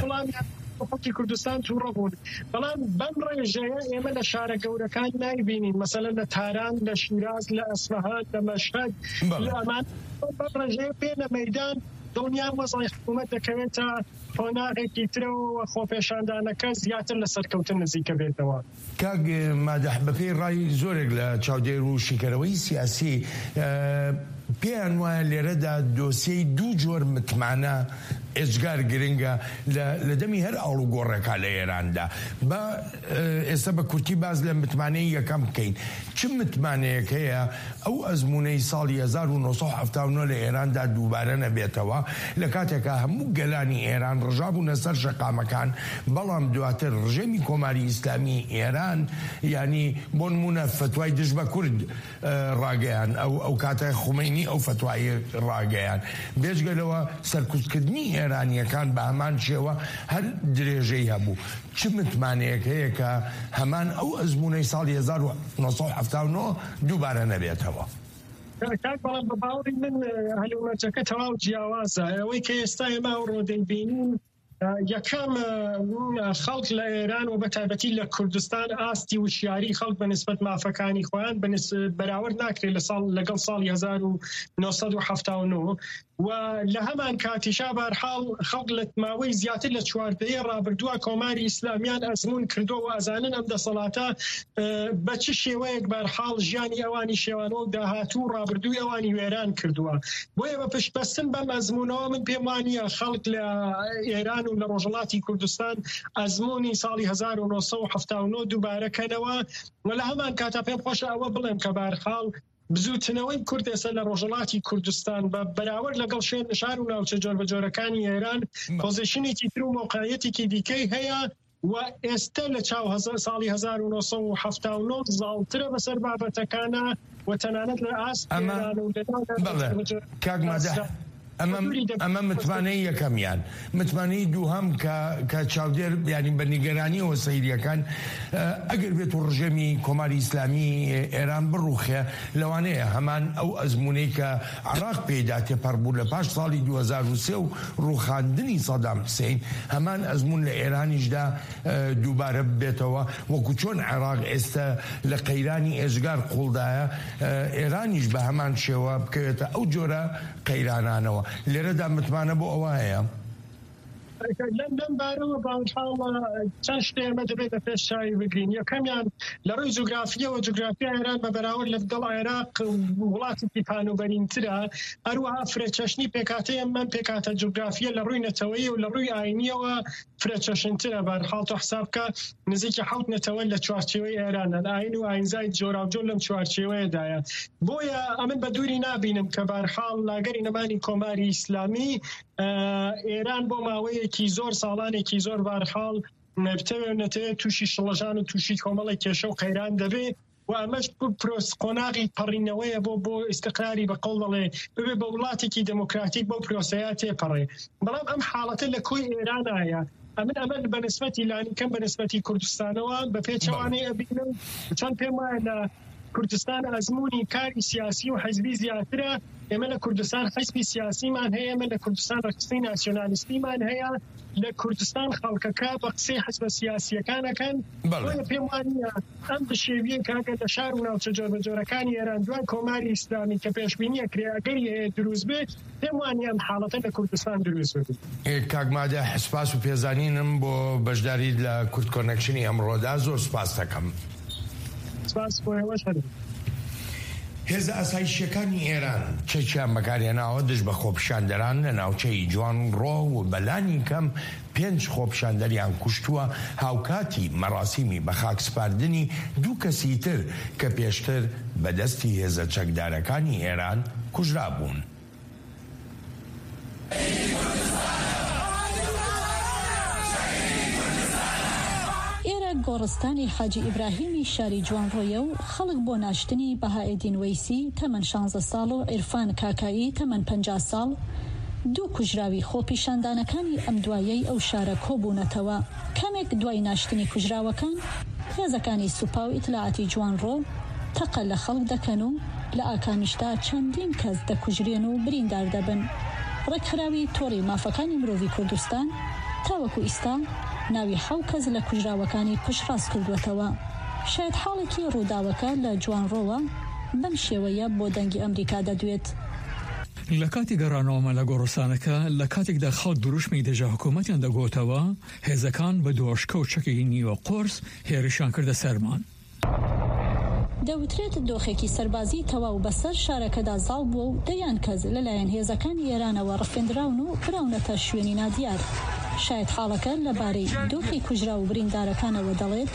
وڵامیان خەڵکی کوردستان تووڕە بوون. بەڵام بەم ڕێژەیە ئێمە لە شارە گەورەکان نایبینین، مەسەلەن لە تاران، لە شیراز، لە ئەسفەهان، لە مەشهەد، بەڵێ. لە ئەمان بەم ڕێژەیە پێ لە مەیدان دڵنیام وەزعی حکوومەت دەکەوێتە قۆناغێکی ترەوە و خۆپێشاندانەکە زیاتر لە سەرکەوتن نزیکە بێتەوە. کاک مادەح، بە پێی ڕای زۆرێک لە چاودێر و شیکەرەوەی سیاسی، ئە، پێیان وایە لێرەدا دۆسیەی دوو جۆر متمانە ئێجگار گرنگە لە، لە دەمی هەر ئاڵوگۆڕێکا لە ئێراندا. با، ئە، ئێستا بە کورتی باز لە متمانەی یەکەم بکەین. چ متمانەیەک هەیە ئەو ئەزموونەی ساڵی هەزار و نۆ سەد و حەفتا و نۆ لە ئێراندا دووبارە نەبێتەوە، لە کاتێکا هەموو گەلانی ئێران ڕژابوونە سەر شەقامەکان، بەڵام دواتر ڕژێمی کۆماری ئیسلامی ئێران، یعنی بۆ نمونە فتوای دژ بە کورد، ئە، ڕاگەیان، ئەو، ئەو کاتە خومەینی ئەو فتوای ڕاگەیان. بێجگە لەوە سەرکوتکردنی ئێرانیەکان بە هەمان شێوە هەر درێژەی هەبوو. چ متمانەیەک هەیە کە هەمان ئەو ئەزموونەی ساڵی هەزار و نۆ سەد و حەفتا و نۆ دووبارە نەبێتەوە؟ کاک، بەڵام بە باوەڕی من، ئە، هەلومەرجەکە تەواو جیاوازە. ئەوەی کە ئێستا ئێمە ئەوڕۆ دەیبینین، ئە، یەکەم، ئە، خەڵک لە ئێران و بە تایبەتی لە کوردستان ئاستی وشیاری خەڵک بە نسبەت مافەکانی خۆیان بە نس-، بەراورد ناکرێت لە ساڵ، لەگەڵ ساڵی هەزار و نۆ سەد و حەفتا و نۆ. و لە هەمان کاتیشا بەرحاڵ خەڵک لە ماوەی زیاتر لە چواردەیە ڕابردووە کۆماری ئیسلامیان ئەزموون کردووە و ئەزانن ئەم دەسەڵاتە، ئە، بە چ شێوەیەک بەرحاڵ ژیانی ئەوانی شێوانەوە و داهاتوو و ڕابردووی ئەوانی وێران کردووە. بۆیە بە پشتبەستن بەم ئەزموونەوە من پێم وانییە خەڵک لە ئێران و لە ڕۆژهەڵاتی کوردستان ئەزموونی ساڵی هەزار و نۆ سەد و حەفتا و نۆ دووبارە کەنەوە و لە هەمان کاتا پێم خۆشە ئەوە بڵێم کە بەرحاڵ بزوتنەوەی کورد ئێستا لە ڕۆژهەڵاتی کوردستان بە بەراورد لەگەڵ شوێن شار و ناوچە جۆربەجۆرەکانی ئێران، بەڵێ. پۆزیشنێکی تر و مۆقعیەتێکی دیکەی هەیە و ئێستا لە چاو هەزار، ساڵی هەزار و نۆ سەد و حەفتا و نۆ زاڵترە بەسەر بابەتەکانە و تەنانەت لە ئاست ئەمە، ئێران و لە ناو بەڵێ، جۆربەجۆر کاک مادەح، ئاستا ئەمە، حضوری دەبێت. ئەمە متمانەی یەکەمیان. متمانەی دووهەم کە، کە چاودێر، یعنی، بە نیگەرانیەوە سەیریەکان، ئە، ئەگەر بێت و ڕژێمی کۆماری ئیسلامی ئێران بڕوخێ، لەوانەیە هەمان ئەو ئەزموونەی کە عراق پێیدا تێپەڕ بوو لە پاش ساڵی دوو هەزار و سێ و ڕوخاندنی سەدام حسین، هەمان ئەزموون لە ئێرانیشدا، ئە، دووبارە ببێتەوە، وەکو چۆن عراق ئێستا لە قەیرانی ئێجگار قوڵدایە، ئە، ئێرانیش بە هەمان شێوە بکەوێتە ئەو جۆرە قەیرانانەوە. لێرەدا متمانە بۆ ئەوە هەیە؟ لەم، لەم بارەوە بانکاڵە چەند شتێ ئێمە دەبێت لە پێش چاوی بگرین. یەکەمیان لە ڕووی جوگرافیەوە، جوگرافیا ئێران بە بەراورد لەگەڵ عێراق وڵاتێکی پانوبەرینترە. هەروەها فرەچەشنی پێکاتەیە، من پێکاتە جوگرافیە لە ڕووی نەتەوەیی و لە ڕووی ئاینیەوە فرەچەشنترە. بەرحاڵ تۆ حساب بکە، نزیکی حەوت نەتەوە لە چوارچێوەی ئێرانە، لە ئاین و ئاینزای جۆراوجۆر لەم چوارچێوەیەدایە. بۆیە ئەمن بە دووری نابینم کە بەرحاڵ لەگەری نەمانی کۆماری ئیسلامی، ئە، ئێران بۆ ماوەیەکی زۆر، ساڵانێکی زۆر بەرحاڵ بتەوێت نەتەوێت تووشی شڵەژان و تووشی کۆمەڵی کێشە و قەیران دەبێ و ئەمەش پرۆس-، قۆناغی پەڕینەوەیە بۆ، بۆ ئیستقراری، بە قەوڵ دەڵێ، ببێ بە وڵاتێکی دموکراتیک بەو پرۆسەیە تێپەڕێ. بەڵام ئەم حاڵەتە لە کۆی ئێرانایە. ئەمن ئەمە بە نسبەتی لانی کەم بە نسبەتی کوردستانەوە بە پێچەوانەی ئەبینم. چەند پێم وایە لە کوردستان ئەزموونی کاری سیاسی و حزبی زیاترە. ئێمە لە کوردستان حزبی سیاسیمان هەیە، ئێمە لە کوردستان ڕەخسەی ناسیۆنالیستیمان هەیە، لە کوردستان خەڵکەکە بە قسەی حزبە سیاسیەکانەکەن. بەڵێ. بۆیە پێم وانە ئەم بشێویە کاگە لە شار و ناوچە جۆربەجۆرەکانی ئێران دوای کۆماری ئیسلامی کە پێشبینیە کرێ ئەگەری هەیە دروست بێت، پێم وانە ئەم حاڵەتە لە کوردستان دروست بێت. ئێ، کاک مادەح، سپاس و پێزانینم بۆ بەشداریت لە کورد کۆنەکشنی ئەمڕۆدا. زۆر سپاس دەکەم. سپاس بۆ ئێوەش هەر. هێزە ئاسایشیەکانی ئێران چەکیان بەکارهێناوە دژ بە خۆپیشاندەران لە ناوچەی جوانڕۆ و بەلانی کەم پێنج خۆپیشاندەریان کوشتووە، هاوکاتی مەراسیمی بە خاک سپاردنی دوو کەسی تر کە پێشتر بە دەستی هێزە چەکدارەکانی ئێران کوژرابوون. ئێرە گۆڕستانی حاجی ئیبراهیمی شاری جوانڕۆیە و خەڵک بۆ ناشتنی بەهائێدین وەیسی تەمەن شانزە ساڵ و عیرفان کاکایی تەمەن پەنجا ساڵ، دوو کوژراوی خۆپیشاندانەکانی ئەم دوایەی ئەو شارە کۆبوونەتەوە. کەمێک دوای ناشتنی کوژراوەکان، هێزەکانی سوپا و ئیتلاعاتی جوانڕۆ تەقە لە خەڵک دەکەن و لە ئاکامیشدا چەندین کەس دەکوژرێن و بریندار دەبن. ڕێکخراوی تۆڕی مافەکانی مرۆڤی کوردستان تاوەکو ئیستا ناوی حەوت کەس لە کوژراوەکانی پشتڕاست کردووەتەوە. شایەتحاڵێکی ڕووداوەکە لە جوانڕۆوە بەم شێوەیە بۆ دەنگی ئەمریکا دەدوێت. لە کاتی گەڕانەوەمە لە گۆڕستانەکە، لە کاتێکدا خەڵک دروشمی دژە حکوومەتیان دەگۆتەوە، هێزەکان بە دۆشکە و چەکی نیوە قۆرس هێرشیان کردە سەرمان. دەوترێت دۆخێکی سەربازی تەواو بەسەر شارەکەدا زاڵ بووە و دەیان کەس لەلایەن هێزەکانی ئێرانەوە ڕفێندراون و براونەتە شوێنی نادیار. شایەتحاڵەکە لەبارەی دۆخی کوژرا و بریندارەکانەوە دەڵێت.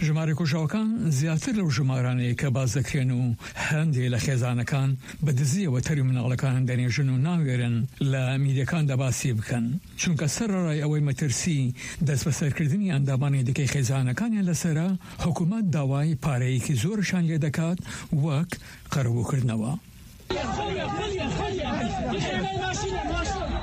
ژمارەی کوژراوەکان زیاتر لەو ژمارانەیە کە باس دەکرێن و هەندێک لە خێزانەکان بە دزیەوە تەرمی مناڵەکانیان دەنێژن و ناوێرن لە میدیەکاندا باسی بکەن، چونکە سەرەڕای ئەوەی مەترسی دەستبەسەرکردنی ئەندامانی دیکەی خێزانەکانیان لەسەرە، حکوومەت داوای پارەیەکی زۆرشان لێ دەکات، وەک قەرەبووکردنەوە.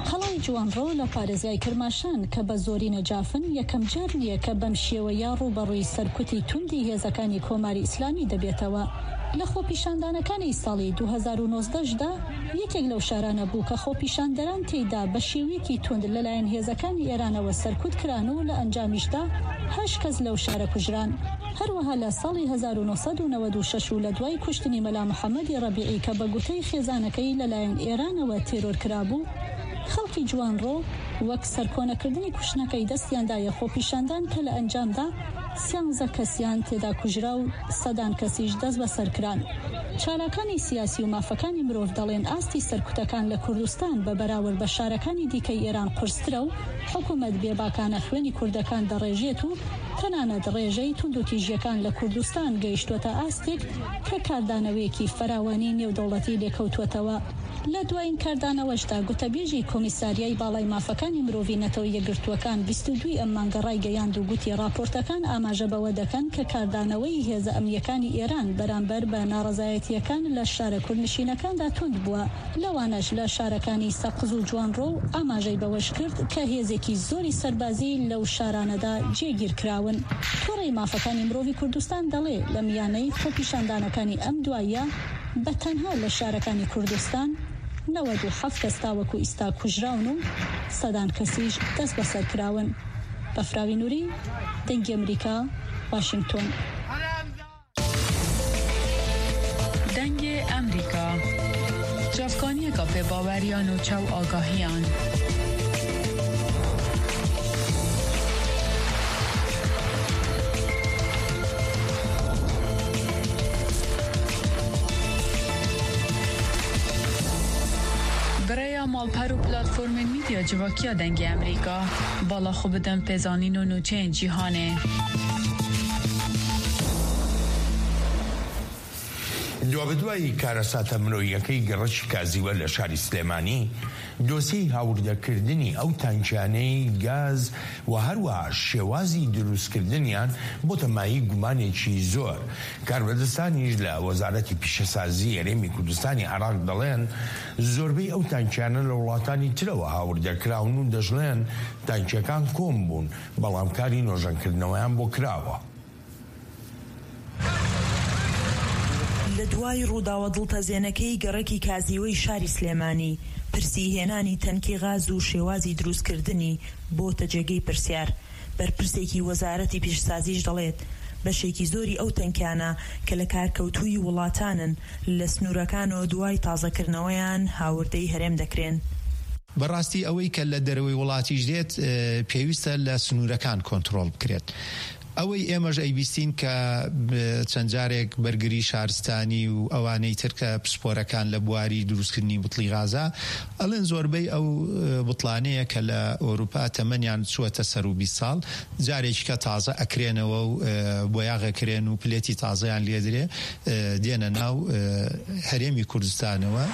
قەڵای جوانڕۆ لە پارێزگای کرماشان کە بە زۆری نەجافن، یەکەم جار نییە کە بەم شێوەیە ڕوبەڕووی سەرکوتی توندی هێزەکانی کۆماری ئیسلامی دەبێتەوە. لە خۆپیشاندانەکانی ساڵی دوو هەزار و نۆزدە دا یەکێک لەو شارانە بوو کە خۆپیشاندەران تێیدا بە شێوەیەکی توند لەلایەن هێزەکانی ئێرانەوە سەرکوت کران و لە ئەنجامیشدا هەشت کەس لەو شارە کوژران. هەروەها لە ساڵی هەزار و نۆسەد و نەوەد و شەش و لە دوای کوشتنی مەلا محەممەدی ڕەبیعی کە بە گوتەی خێزانەکەی لەلایەن ئێرانەوە تێرۆر کرابوو، خەڵکی جوانڕۆ وەک سەرکۆنەکردنی کوشتنەکەی دەستیاندایە خۆپیشاندان کە لە ئەنجامدا سیانزە کەسیان تێدا کوژرا و سەدان کەسیش دەست بەسەر کران. چالاکانی سیاسی و مافەکانی مرۆڤ دەڵێن ئاستی سەرکوتەکان لە کوردستان بە بەراورد بە شارەکانی دیکەی ئێران قورسترە و حکوومەت بێباکانە خوێنی کوردەکان دەڕێژێت و تەنانەت ڕێژەی توندوتیژیەکان لە کوردستان گەیشتووەتە ئاستێک کە کاردانەوەیەکی فراوانی نێودەوڵەتی لێکەوتووەتەوە. لە دوایین کاردانەوەشدا گوتەبێژی کۆمیساریای باڵای مافەکانی مرۆڤی نەتەوە یەکگرتووەکان بیست و دووی ئەم مانگە ڕایگەیاند و گوتی ڕاپۆرتەکان ئاماژە بەوە دەکەن کە کاردانەوەی هێزە ئەمنیەکانی ئێران بەرامبەر بە ناڕەزایەتیەکان لە شارە کوردنشینەکان دا توند بووە، لەوانەش لە شارەکانی سەقز و جوانڕۆ و ئاماژەی بەوەش کرد کە هێزێکی زۆری سەربازی لەو شارانەدا جێگیر کراون. تۆڕی مافەکانی مرۆڤی کوردستان دەڵێ لە میانەی خۆپیشاندانەکانی ئەم دواییە بە تەنها لە شارەکانی کوردستان نەوەد و حەفت کەس تاوەکو ئیستا کوژراون و سەدان کەسیش دەست بەسەر کراون. بەفراوی نوری، دەنگی ئەمریکا، واشنگتۆن. دەنگی ئەمریکا، چاوکانیەکە پێ باوەریان و چاو ئاگاهیان. Birêya malper û platformên medya civakiya Dengê Emerîka, bala xwe bidin pêzanîn û nûçeyên cîhanê. دوابەدوای کارەساتە مرۆییەکەی گەڕەکی کازیوە لە شاری سلێمانی، دۆسیەی هاوردەکردنی ئەو تانکیانەی گاز و هەروەها شێوازی دروستکردنیان بۆتە مایەی گومانێکی زۆر. کاربەدەستانیش لە وەزارەتی پیشەسازی هەرێمی کوردستانی عێراق دەڵێن زۆربەی ئەو تانکیانە لە وڵاتانی ترەوە هاوردەکراون و دەژڵێن تانکیەکان کۆم بوون، بەڵام کاری نۆژەنکردنەوەیان بۆ کراوە. لە دوای ڕووداوە دڵتەزێنەکەی گەڕەکی کازیوەی شاری سلێمانی، پرسی هێنانی تەنکی غاز و شێوازی دروستکردنی بۆتە جێگەی پرسیار. بەرپرسێکی وەزارەتی پیشسازیش دەڵێت بەشێکی زۆری ئەو تەنکیانە کە لە کارکەوتووی وڵاتانن، لە سنوورەکانەوە دوای تازەکردنەوەیان هاوردەی هەرێم دەکرێن. بەڕاستی ئەوەی کە لە دەرەوەی وڵاتیش دێت، ئێ، پێویستە لە سنوورەکان کۆنترۆل بکرێت. ئەوەی ئێمەش ئەیبیستین کە، ب-، چەند جارێک بەرگری شارستانی و ئەوانەی تر کە پسپۆرەکان لە بواری دروستکردنی بتڵی غازە، ئەڵێن زۆربەی ئەو، ئێ، بتڵانەیە کە لە ئەوروپا تەمەنیان چووەتە سەر و بیست ساڵ، جارێکی کە تازە ئەکرێنەوە و، ئێ، بۆیاغ ئەکرێن و پلێتی تازەیان لێدرێ، ئێ، دێنە ناو، ئێ، هەرێمی کوردستانەوە.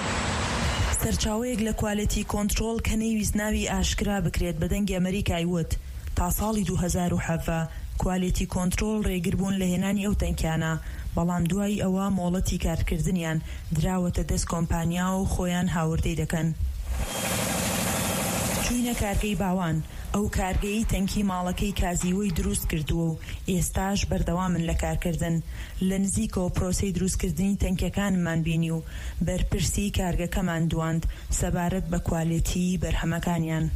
سەرچاوەیەک لە کوالێتی کۆنترۆل کە نەیویست ناوی ئاشکرا بکرێت بە دەنگی ئەمریکای وت، تا ساڵی دوو هەزار و حەڤدە کوالێتی کۆنترۆل ڕێگر بوون لە هێنانی ئەو تەنکیانە، بەڵام دوای ئەوە مۆڵەتی کارکردنیان دراوەتە دەست کۆمپانیا و خۆیان هاوردەی دەکەن. چووینە کارگەی باوان، ئەو کارگەی تەنکی ماڵەکەی کازیوەی دروست کردووە و ئێستاش بەردەوامن لە کارکردن. لە نزیکەوە پرۆسەی دروستکردنی تەنکیەکانمان بینی و بەرپرسی کارگەکەمان دواند سەبارەت بە کوالێتی بەرهەمەکانیان.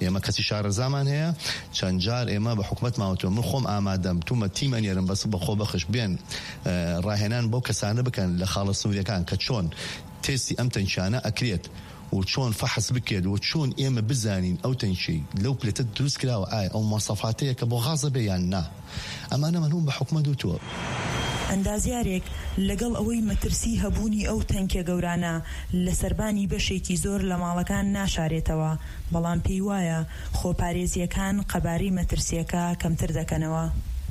ئێمە کەسی شارەزامان هەیە. چەند جار ئێمە بە حکوومەتمان وتووە، من خۆم ئامادەم، تومە تیم ئەنێرم، بەس بە خۆ بەخش بێن، ئە، ڕاهێنان بەو کەسانە بکەن لە خاڵە سنووریەکان کە چۆن تێستی ئەم تەنکیانە ئەکرێت و چۆن فەحس بکرێت و چۆن ئێمە بزانین ئەو تەنکی لەو پلێتە دروست کراوە، ئایا ئەو مواصفاتەیە کە بۆ غازە بێ یان نا. ئەمانەمان هەموو بە حکومەت وتووە. ئەندازیارێک لەگەڵ ئەوەی مەترسی هەبوونی ئەو تەنکە گەورانە لە سەربانی بەشێکی زۆر لە ماڵەکان ناشارێتەوە، بەڵام پێی وایە خۆپارێزیەکان قەبارەی مەترسیەکە کەمتر دەکەنەوە.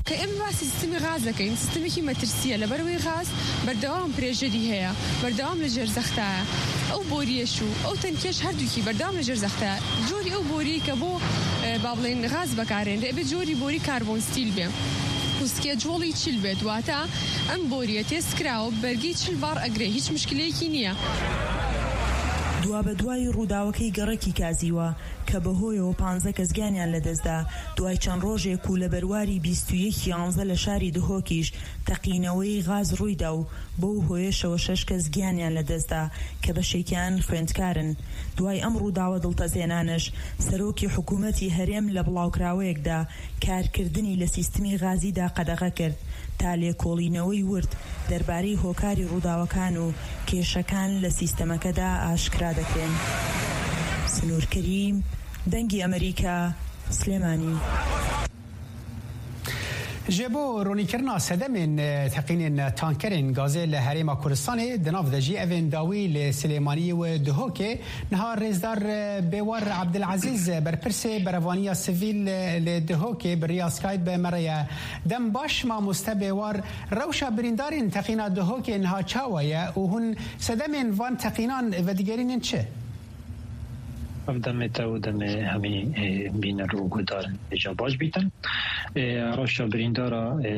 کە ئێمە باسی سیستمی غاز دەکەین، سیستمێکی مەترسیە، لەبەرەوەی غاز بەردەوام پرێژەری هەیە، بەردەوام لە ژێر زەختایە. ئەو بۆریەش و ئەو تەنکیەش هەردووکی بەردەوام لە ژێر زەختایە. جۆری ئەو بۆری کە بۆ، ئە، با بڵێن غاز بەکارێنرێ، ئەبێ جۆری بۆری کاربۆن ستیل بێ و سکێجوڵی چل بێت، واتە ئەم بۆریە تێست کراوە، بەرگی چل بار ئەگرێ، هیچ مشکلەیەکی نییە. دوا بە دوای ڕووداوەکەی گەڕەکی کازیوە کە بەهۆیەوە پانزە کەس گیانیان لەدەستدا، دوای چەند ڕۆژێک و لە بەرواری بیست و یەک یانزە لە شاری دهۆکیش تەقینەوەی غاز ڕوویدا و بەو هۆیەشەوە شەش کەس گیانیان لەدەستدا کە بەشێکیان خوێندکارن. دوای ئەم ڕووداوە دڵتەزێنانەش، سەرۆکی حکوومەتی هەرێم لە بڵاوکراوەیەکدا کارکردنی لە سیستمی غازیدا قەدەغە کرد، تا لێکۆڵینەوەی ورد دەربارەی هۆکاری ڕووداوەکان و کێشەکان لە سیستەمەکەدا ئاشکرا دەکرێن. سنوور کەریم، دەنگی ئەمریکا، سلێمانی. Ji bo ronîkirina sedemên, e, teqînên tankerên gazê li Herêma Kurdistanê, di nav de jî evên dawî li Silêmaniyê û Duhokê, niha rêzdar, e, Bêwar Abdilezîz, e, berpirsê berevaniya sivîl, e, li Duhokê bi riya Skype me re ye. Dem baş, mamoste Bêwar, rewşa birîndarên teqîna Duhokê niha çawa ye û hûn sedemên van teqînan vedigerînin çi? Ev demê te û demê hemî, e, bîner û guhdarên hêja baş bîtin. E, rewşa birîndara, e,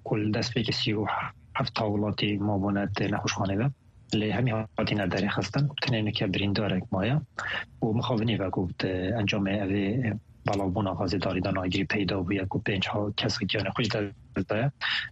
ku li destpêkê sî û heft hawlatî mabûne di nexweşxanê de. Lê hemî hatine derêxistin. Tenê nike birîndarek maye. Û mixabinî ve ku di encamê evê, e, belavbûna gazê darî de nagirî peyda bûye ku pênc ha-, kes giyanê xwe ji dest daye.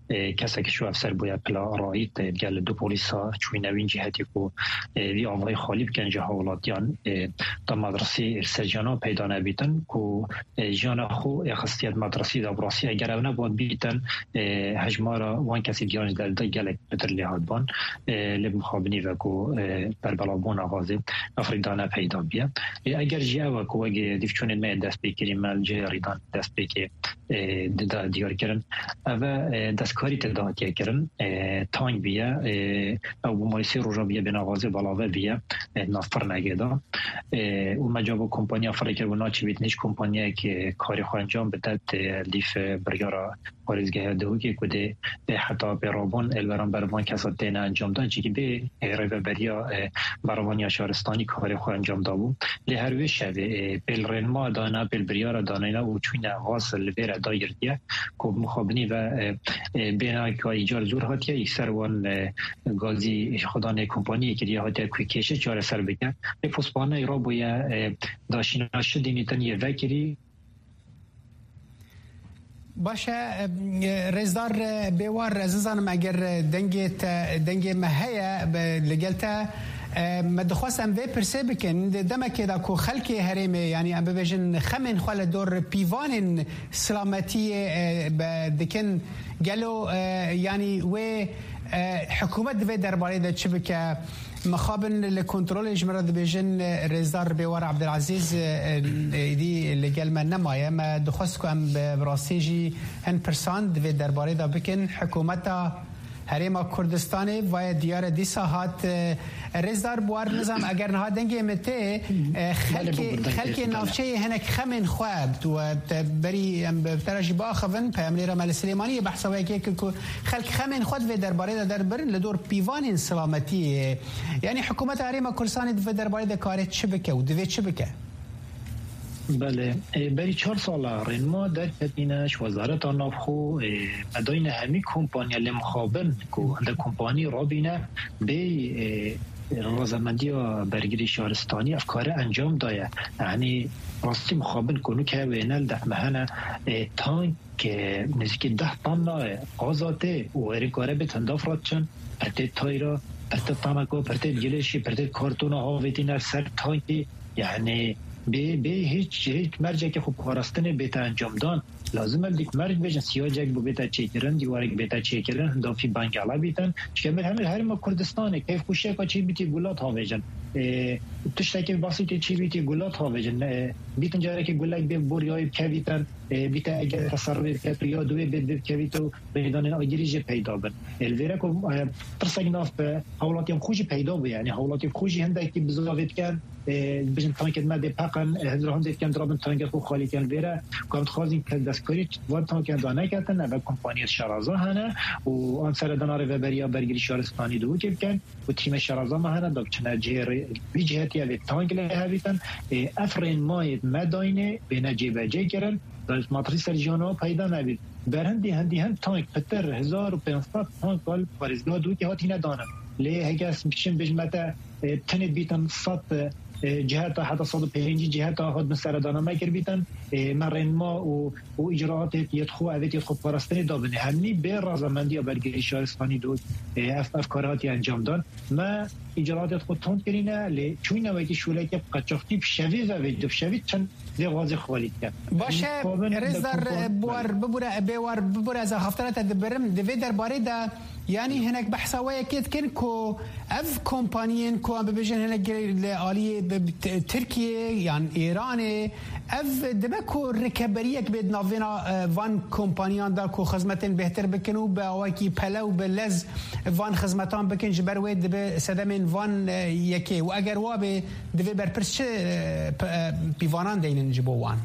E, kesek ji efser bûye pila rayît, e, gel du polîsa çûyîne wîn cîhetî ku, e, vî avayî xalî bikin ji hawlatiyan, e, da medresî li ser jiyanan peyda nebîtin ku, e, jiyana xwe ê xistiye di medresî de. Bi rastî eger ew nebûn bîtin, e, hejmara wan kesê giyan ji derdê gelek pitir lê hatban, e, lê bi mixabinî ve ku, e, berbelavbûna gazê ev rîdane peyda biye. E, eger jî ew e ku wek, e, dîvçûnên me yê destpêkirî me li cihê rîdan destpêkê, e, dida diyar kirin. Ev e, e, destkarî tê de hatiye kirin. E, tank biye, e, ew bi mayî sê roja biye bêna gazê belave biye, e, nav firnegê de. E, û me cabo kompanya firê kir û naçî bîtin hiç kompanyayek, e, karê xwe encam bide, tê lîf, e, biryara parêzgeha Dihokê ku dê, e, heta pêrabûn ê li beramber van kesa têne encam dan, çikî bê, e, rêveberiya, e, berevaniya şaristanî karê xwe encam dabû. Lê her wê şevê, e, pêl rênma dana, pêl biryara danayna û çûyne gaz li vê re dagirtiye ku bi mixabinî ve, e, e, bêna ka îcar zor hatiye, î ser wan, e, gazî xwedanê kompaniyê kiriye hatiye ku kêşe çareser bike. Lê pospaneyê rabûye, e, daşîna şidî tenê yê vekirî. Baş e, e, rêzdar, e, Bêwar, ez nizanim eger, e, dengê te, dengê me heye, be, li gel te, e, me dixwest em vê pirsê bikin. Di demekê de ku xelkê herêmê, yanî em bibêjin xemên xwe li dor pîvanên silametiyê, e, be, dikin, gelo, e, yanî wê, e, hikûmet di vê derbarê de çi bike? Mixabin li kontrolê ji min re dibêjin, e, rêzdar Bêwar Abdilezîz, e, e, êdî li gel me nemaye. Me dixwest ku em bi, bi rastî jî hin pirsan di vê derbarê de bikin. Hikûmeta Herêma Kurdistanê vaye diyar e dîsa hat, e, rêzdar Bêwar, nizam eger niha dengê min tê, e, xelkê, xelkê navçeyê hinek xemên xwe, tu, e, te berî em bi te re jî biaxivin, peyamnêra me li Silêmaniyê behsa wê yekê kir ku xelk xemên xwe di vê derbarê de derbirin li dor pîvanên silametiyê. Yanî hikûmeta Herêma Kurdistanê di vê derbarê de kare çi bike û divê çi bike? Belê, e, berî çar sala rênma derketîne ji Wezareta Navxwe, e, me dayne hemî kompanya lê mixabin ku hinde kompanî rabîne bê, e, razemendiya bergirî şaristanî ev kare encam daye. Yanî rastî mixabin ku nûke wêne li def me hene, e, tank ke nêzîkî deh tonna gaza tê û êrî kare bê tendaf re diçin, pirtê tayra, pirtê teneka, pirtê gilêşî, pirtê kartona avêtîne ser tankî, yanî bê, bê hiç, hiç mercekê xwe parastinê bête encamdan. Lazim e dîk merc bêjin, siyacek bû bête çêkirin, dîwarek bête çêkirin, hindafî bengala bîtin. Çike min hemî herêma Kurdistanê keyfxweşiyeka çêbîtî gulat havêjin. Ê, tiştekê basîtê çêbîtî gulat havêjin. Ê, bîtin carekê gulek bê boryayê bikevîtin, ê, bîte eger teserrufê bikevît ya duwê bê bikevît û rêdanên agirî jî peyda bin. Ê, li vêre ku, ê, tirsek nav bi hawlatiyên xwe jî peyda bû, yanî hawlatiyên xwe jî hindekî bizavê dikin, ê, bijin tankên me dê peqin, ê, hindra hindê dikin dirabin tankên xwe xalî dikin. Vêre ku em dixwazin kes destkarî van tankên da neketin, ev kompaniyê şaraza hene û an seredana rêveberiya bergirî şaristanî Duhokê bikin û tîmê şaraza me hene da biçine cihê rê-, vî cihetiye vê tank lê hevîtin. Ê, ev rênmayê me dayînê bêne cêbecê kirin, da matrî ser jiyana peyda nebît. Berhindî hindî hin tank pitir hezar û pênc sed tank li parêzgeha Duhokê hatîne danin. Lê heke ez biçim bêjim me te, e, tenê bîtin sed, e, ciheta heta sed û pêncî ciheta hat bin seredana me kir bîtin, e, me rênma û, û îcraatê yê xwe, evêt yê xwe parastinê da binê. Hemî bê razamendiya bergirî şaristanî Duhok, e, ev, ev kar hatiye encam dan. Me îcraatê xwe tund kirîne, lê çûyne wekî şûlekê bi qeçaxtî bi şevî ve vê, bi şevî çend vê gazê xwelî dike. Baş e, Em dixwazin rêzdar, kompan-, bi war bibûre, bê war bibûre, ez axaftana te dibirim. Di vê derbarê de, yanî hinek behsa we yekê dikin ku ev kompaniyên ku em bibêjin hinek li aliyê bi, bi T-, Tirkiyê yan Îranê, ev dibe ku rikeberiyek bê di navbêna, e, van kompaniyan de ku xizmetên bêhtir bikin û bi awakî pele û bi lez van xizmetan bikin, ji ber wê dibe sedemên van, e, yekê. Û eger wa bê, divê berpirs çi, e, p-, e, pîvanan deynin ji bo wan?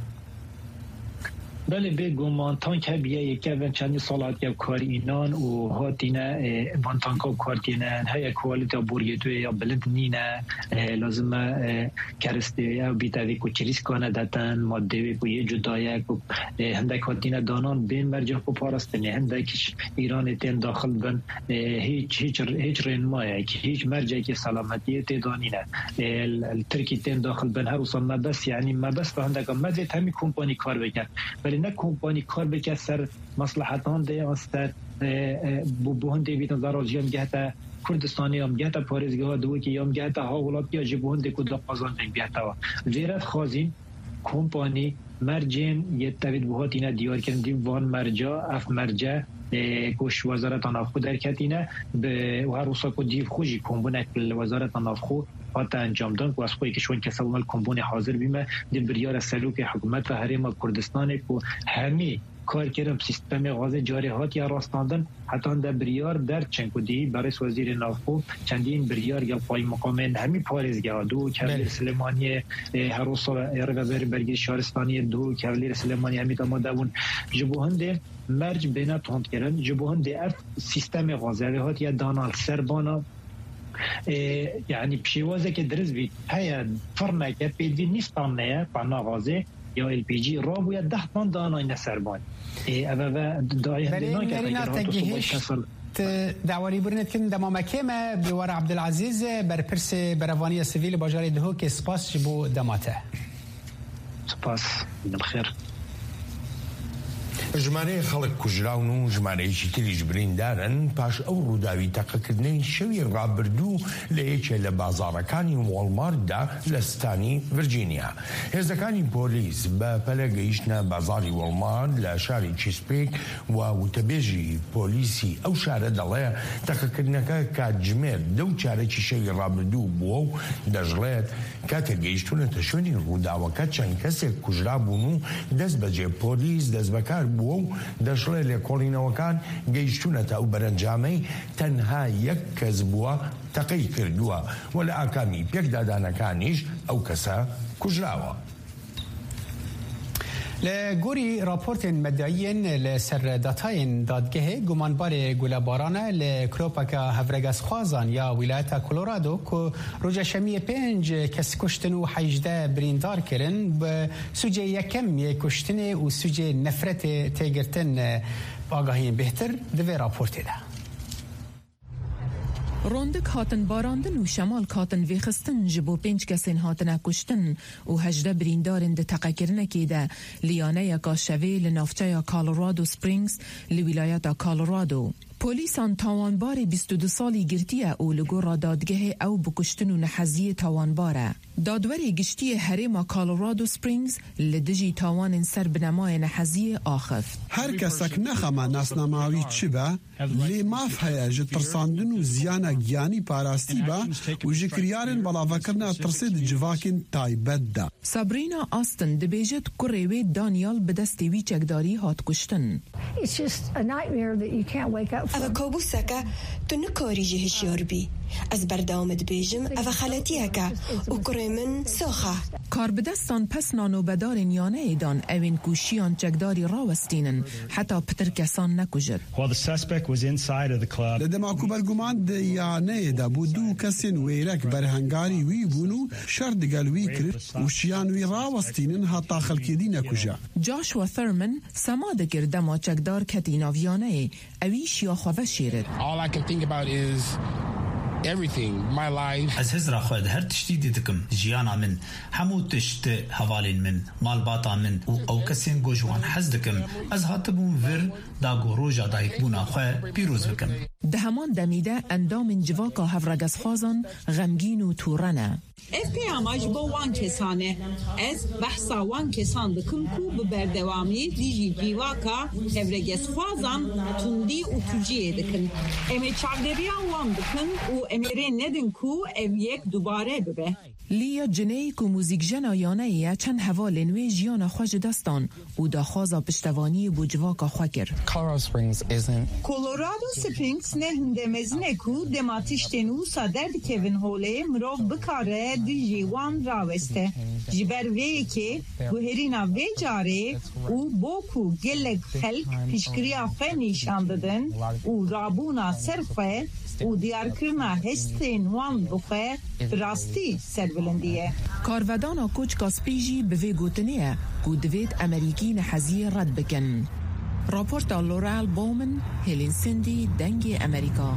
Belê, bêguman tank hebiye, yekevin çendî sal hatiye kar înan û hatîne, e, van tanka kar tînin. Heye kualîteya borgêtûyê ya bilind nîne. E, lazim e, e, keristê ew bîte vê ku çirîskane detin, madeyê wê ku yê cuda ye, ku, e, hindek hatîne danan bên mercê xwe parastinê, hindek ji Îranê tên daxil bin. E, hiç, hiç, hiç rênmayek, hiç mercekê selametiyê tê da nîne. E, li, li Tirkî tên daxil bin, her wisa mebest, yanî mebest hindeka mezêt hemî kompanî kar bike. Belê ne kompanî kar bike ser meslehetan de yan ser, e, e, bo, bo hindê bîtin zarar jî em gehte Kurdistanê, em gehte parêzgeha Duhokê, em gehte hawlatiya ji bo hindê ku da qazancên gehte wa. Vêre dixwazîn kompanî mercên yê tevî bi hatîne diyarkirin, dîv van merca, ev merce, e, ku ji Wezareta Navxwe derketîne, bi, û her wisa ku dîv xwe jî kombûnek li Wezareta Navxwe hate encamdan, ku ez xwe yekî ji wan kesa bûme li kombûnê hazir bîme, dîv biryara serokê hikûmeta Herêma Kurdistanê ku hemî kar kirin bi sîstemê gazê carê hatiye rastandin, heta hinde biryar derçin ku dî berêz Wezîrê Navxwe çendîn biryar ya qaymeqamên hemî parêzgeha Duhok, Belê. Hevlêr Silêmaniyê, e, Herosa, e, Rêveberê Bergî Şaristaniyê Duhok, Hevlêr Silêmaniyê hemî amade bûn. Ji bo hindê merc bêne tondkirin, ji bo hindê ev sîstemê gazê ev ê hatiye dana li ser bana, e, yanî bi şêwazeke dirist bî, heye firneke pêdivî nîv tan neye, tan na gazê ya L P G rabûye deh tan danayne ser banî. E, ev, ev, e, dayê hindê Berê nakete, Nerîna, ger te hatu soba gihişt, kesel. Dawarî birinê dikin dema me kêm e, Bêwar Abdulazîz, berpirsê Berevaniya Sivîl li bajarê Duhokê, spas ji bo dema te. Spas, bi xêr. ژمارەیە خەڵک کوژراون و ژمارەیەکی تریش بریندارن پاش ئەو ڕووداوی تەقەکردنەی شەوی ڕابردوو لە یەکێ لە بازاڕەکانی وۆڵمارتدا لە ستانی ڤرجینیا. هێزەکانی پۆلیس بە پەلە گەیشتنە بازاڕی وۆڵمارت لە شاری چیسپیک و وتەبێژی پۆلیسی ئەو شارە دەڵێ تەقەکردنەکە کاتژمێر دە و چارەکی شەوی ڕابردوو بووە و دەژڵێت کاتێک گەیشتوونەتە شوێنی ڕووداوەکە، چەند کەسێک کوژرابوون و دەست بەجێ پۆلیس دەستبەکار بووە و دەشڵێ لێکۆڵینەوەکان گەیشتوونەتە ئەو بەرەنجامەی تەنها یەک کەس بووە تەقەی کردووە و لە ئاکامی پێکدادانەکانیش ئەو کەسە کوژراوە. Li gorî raportên medyayî yên li ser datayên dadgehê, gumanbarê gulebaran e li klopeka hevregezxwazan ya wîlayeta Colorado ku roja şemiyê pênc kes kuştin û hejdeh birîndar kirin, bi sûcê yekem yê kuştinê û sûcê nefretê tê girtin. Agahiyên bêhtir di vê raportê de. Rondik hatin barandin û şemalk hatin vêxistin ji bo pênc kesên hatine kuştin û hejdeh birîndarên di teqekirinekê de li yaneyeka şevê li navçeya Colorado Springs li wîlayeta Colorado. Polîsan tawanbarê bîst û du salî girtiye û li gora dadgehê ew bi kuştin û neheziyê tawanbar e. Dadwerê Giştî yê Herêma Colorado Springs li dijî tawanên ser binemayê neheziyê axift. Her kesek nexema nasnama wî çi be, lê maf heye ji tirsandin û ziyana giyanî parastî be û ji kiryarên belavekirina tirsê di civakên taybet de. Sabrina Austin dibêjit kurê wê Daniel bi destê wî çekdarî hat kuştin. It's just a nightmare that you can't wake up from. Ev e kabûseke tu nikarî jê hişyar bî. Ez berdewam dibêjim, ev e xeletiyeke û kurê min sax e. Karbidestan pesna nobedarên yaneyê dan, ewên ku şiyan çekdarî rawestînin, heta pitir kesan nekujit. While the suspect was inside of the club, Li dema ku berguman di yaneyê de bû, du kesên wêrek berhengarî wî bûn û şer digel wî kir û şiyan wî rawestînin, heta xelkê dî nekuje. Joshua Thurman sema dikir dema çekdar ketî nav yaneyê, ewî şiya xwe veşêrit. All I can think about is everything, my life. Ez hizra xwe di her tiştî dî dikim. Jiyana min, hemû tişt, hevalên min, malbata min û ew kesên ku ji wan hez dikim. Ez hatibûm vir da ku roja dayikbûna xwe pîroz bikim. Di heman demî de endamên civaka hevregezxwazan xemgîn û tûre ne. Ev peyama ji bo wan kesan e. Ez behsa wan kesan dikim ku bi berdewamî dijî civaka hevregezxwazan tundî û tûciyê dikin. Em ê çavdêriya wan bikin û em ê rê nedin ku ev yek dubare bibe. Leah Ciney ku muzîkjena yaneyê ye, çend hevalên wê jiyana xwe ji dest dan û daxwaza piştevaniyê bo civaka xwe kir. Colorado Springs isn't. Colorado Springs ne hunde mezin e ku dema tiştên wisa derdikevin holê, mirov bikare dijî wan raweste. Ji ber vê yekê guherîna vê carê û bo ku gelek xelk piştgiriya xwe nîşan didin û rabûna ser xwe û diyarkirina hestên wan bi xwe bi rastî serbilindî ye. Karvedana koçka spî jî bi vê gotinê ye ku divêt Emerîkî neheziyê red bikin. Raporta Laurel Bowman, Helen Cindy, Dengê Emerîka.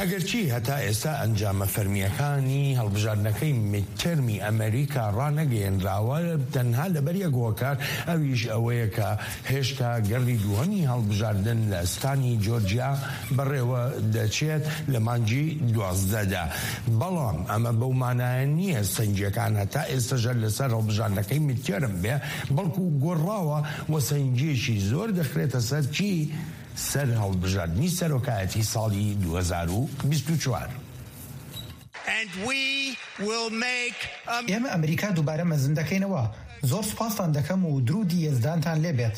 ئەگەرچی هەتا ئێستا ئەنجامە فەرمییەکانی هەڵبژاردنەکەی میدتێرمی ئەمریکا ڕانەگەیەنراوە، تەنها لەبەر یەک هۆکار، ئەویش ئەوەیە کە هێشتا گەڕی دووهەمی هەڵبژاردن لە ستانی جۆرجیا بەڕێوە دەچێت لە مانگی دوازدەدا. بەڵام ئەمە بەو مانایە نییە سەنگیەکان هەتا ئێستەشە لەسەر هەڵبژاردنەکەی میدتێرم بێ، بەڵکو گۆڕاوە و سەنگیەکی زۆر دەخرێتە سەر چی؟ سەر هەڵبژاردنی سەرۆکایەتی ساڵی دوو هەزار و بیست و چوار. And we will make ئێمە ئەمریکا دووبارە مەزن دەکەینەوە. زۆر سوپاستان دەکەم و درودی یەزدانتان لێبێت.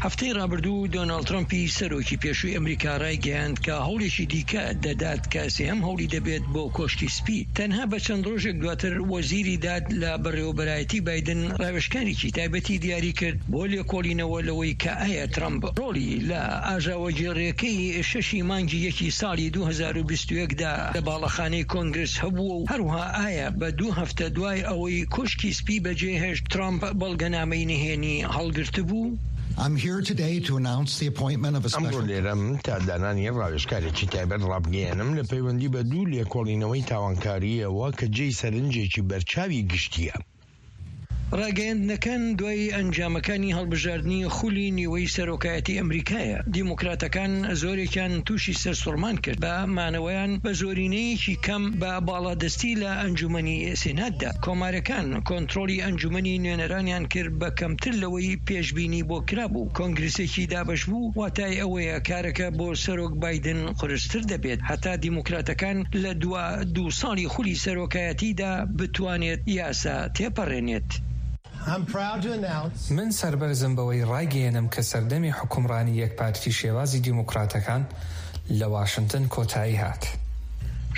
هەفتەی ڕابردوو دۆناڵد ترەمپی سەرۆکی پێشووی ئەمریکا ڕایگەیاند کە هەوڵێکی دیکە دەدات کە سێهەم هەوڵی دەبێت بۆ کۆشکی سپی. تەنها بە چەند ڕۆژێک دواتر وەزیری داد لە بەڕێوەبەرایەتی بایدن ڕاوێژکارێکی تایبەتی دیاری کرد بۆ لێکۆڵینەوە لەوەی کە ئایا ترەمپ ڕۆڵی لە ئاژاوەگێڕیەکەی شەشی مانگی یەکی ساڵی دوو هەزار و بیست و یەک دا لە باڵەخانەی کۆنگرس هەبووە و هەروها ئایا بە دوو هەفتە دوای ئەوەی کۆشکی سپی بەجێهێشت ترەمپ بەڵگەنامەی نهێنی هەڵگرتبوو؟ I'm here today to announce the appointment of a ئەمڕۆ special لێرەم تا دانانی ڕاوێژکارێکی تایبەت ڕابگەیەنم لە پەیوەندی بە دوو لێکۆڵینەوەی تاوانکارییەوە کە جێی سەرنجێکی بەرچاوی گشتییە. ڕاگەیاندنەکان دوای ئەنجامەکانی هەڵبژاردنی خولی نیوەی سەرۆکایەتی ئەمریکایە. دیموکراتەکان زۆرێکیان تووشی سەرسوڕمان کرد بە مانەوەیان بە زۆرینەیەکی کەم بە باڵادەستی لە ئەنجومەنی سێناتدا. کۆمارەکان کۆنترۆلی ئەنجومەنی نوێنەرانیان کرد بە کەمتر لەوەی پێشبینی بۆ کرابوو. کۆنگرسێکی دابەش بوو، واتای ئەوەیە کارەکە بۆ سەرۆک بایدن قورستر دەبێت هەتا دیموکراتەکان لە دوا دوو ساڵی خولی سەرۆکایەتیدا بتوانێت یاسا تێپەڕێنێت. I'm proud to announce من سەربەرزم بەوەی ڕایگەیەنم کە سەردەمی حکومڕانی یەکپارتی شێوازی دیموکراتەکان لە واشنگتن کۆتایی هات.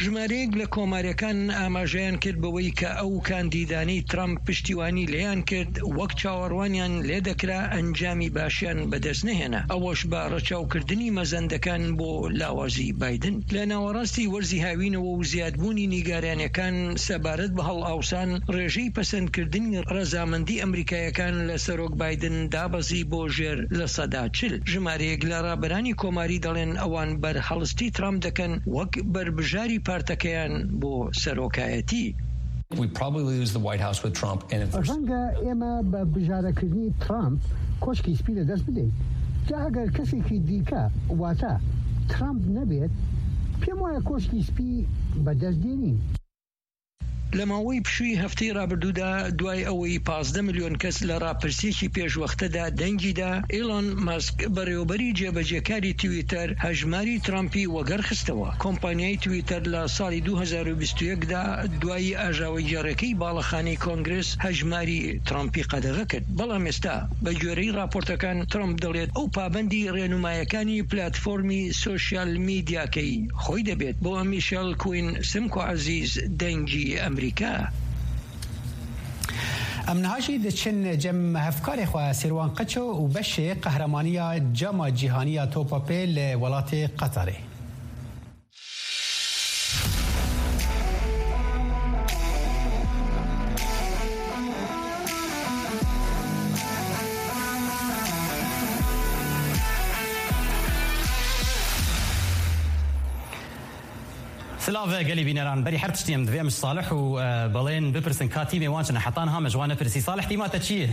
ژمارەیەک لە کۆماریەکان ئاماژەیان کرد بەوەی کە ئەو کاندیدانەی ترامپ پشتیوانی لێیان کرد وەک چاوەڕوانیان لێ دەکرا ئەنجامی باشیان بەدەست نەهێنا، ئەوەش بە ڕەچاوکردنی مەزەندەکان بۆ لاوازی بایدن. لە ناوەڕاستی وەرزی هاوینەوە و زیادبوونی نیگارانیەکان سەبارەت بە هەڵئاوسان، ڕێژەی پەسەندکردنی ڕەزامەندی ئەمریکایەکان لە سەرۆک بایدن دابەزی بۆ ژێر لە سەدا چل. ژمارەیەک لە ڕابەرانی کۆماری دەڵێن ئەوان بەرهەڵستی ترامپ دەکەن وەک بەربژاری پارتەکەیان بۆ سەرۆکایەتی. We probably lose the White House with Trump, and if there's ڕەنگە ئێمە بە بژارەکردنی ترامپ کۆشکی سپی لەدەست بدەین. جا ئەگەر کەسێکی دیکە، واتە ترامپ نەبێت، پێم وایە کۆشکی سپی بەدەست دێنین. لە ماوەی پشووی هەفتەی ڕابردوودا، دوای ئەوەی پازدە ملیۆن کەس لە ڕاپرسیەکی پێشوەختەدا دەنگی دا، ئیلۆن مەسک، بەڕێوەبەری جێبەجێکاری تویتەر، هەژماری ترامپی وەگەڕ خستەوە. کۆمپانیای تویتەر لە ساڵی دوو هەزار و بیست و یەک دا دوای ئاژاوەگێڕەکەی باڵەخانەی کۆنگرس هەژماری ترامپی قەدەغە کرد. بەڵام ئێستا، بە گوێرەی راپۆرتەکان، ترامپ دەڵێت ئەو پابەندی ڕێنمایەکانی پلاتفۆرمی سۆشیال میدیاکەی خۆی دەبێت. بۆ میشێل کوین سمکۆ عەزیز، دەنگی ئەمریکا. Em niha jî diçin cem hevkarê xwe Sîrwan Qeço û beşê qehremaniya Cama Cîhaniya Topa Pê li welatê Qetarê. Silav gelî bîneran. Berî her tiştî em divê em ji Salih û, e, Belên bipirsin ka tîmê wan çi ne. Heta niha me ji wan nepirsî. Salih, tîma te çi ye?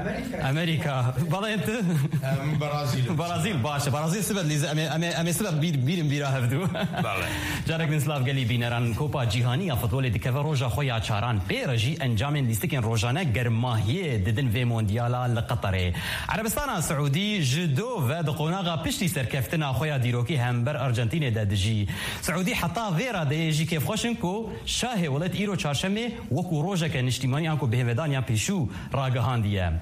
Amerîka. Amerîka. Belên tu? Em Brazîl. Brazîl, baş e. Brazîl sibe dilîze. Em ê, em ê, em ê sibe bîr, bîrin bîra hevdû. Belê. Carek din silav gelî bîneran. Kopa Cîhanî ya Futbolê dikeve roja xwe ya çaran. Pê re jî encamên lîstikên rojane germahiyê didin vê Mondiyala li Qeterê. Erebistana Siûdî ji do ve di qonaxa piştî serkeftina xwe ya dîrokî hember Arjantînê de dijî. Siûdî heta vê radeyê jî kêfxweş in ku şahê welat îro çarşemê wekû rojeke niştîmanî anku bihêvedaniya pêşû ragihandiye.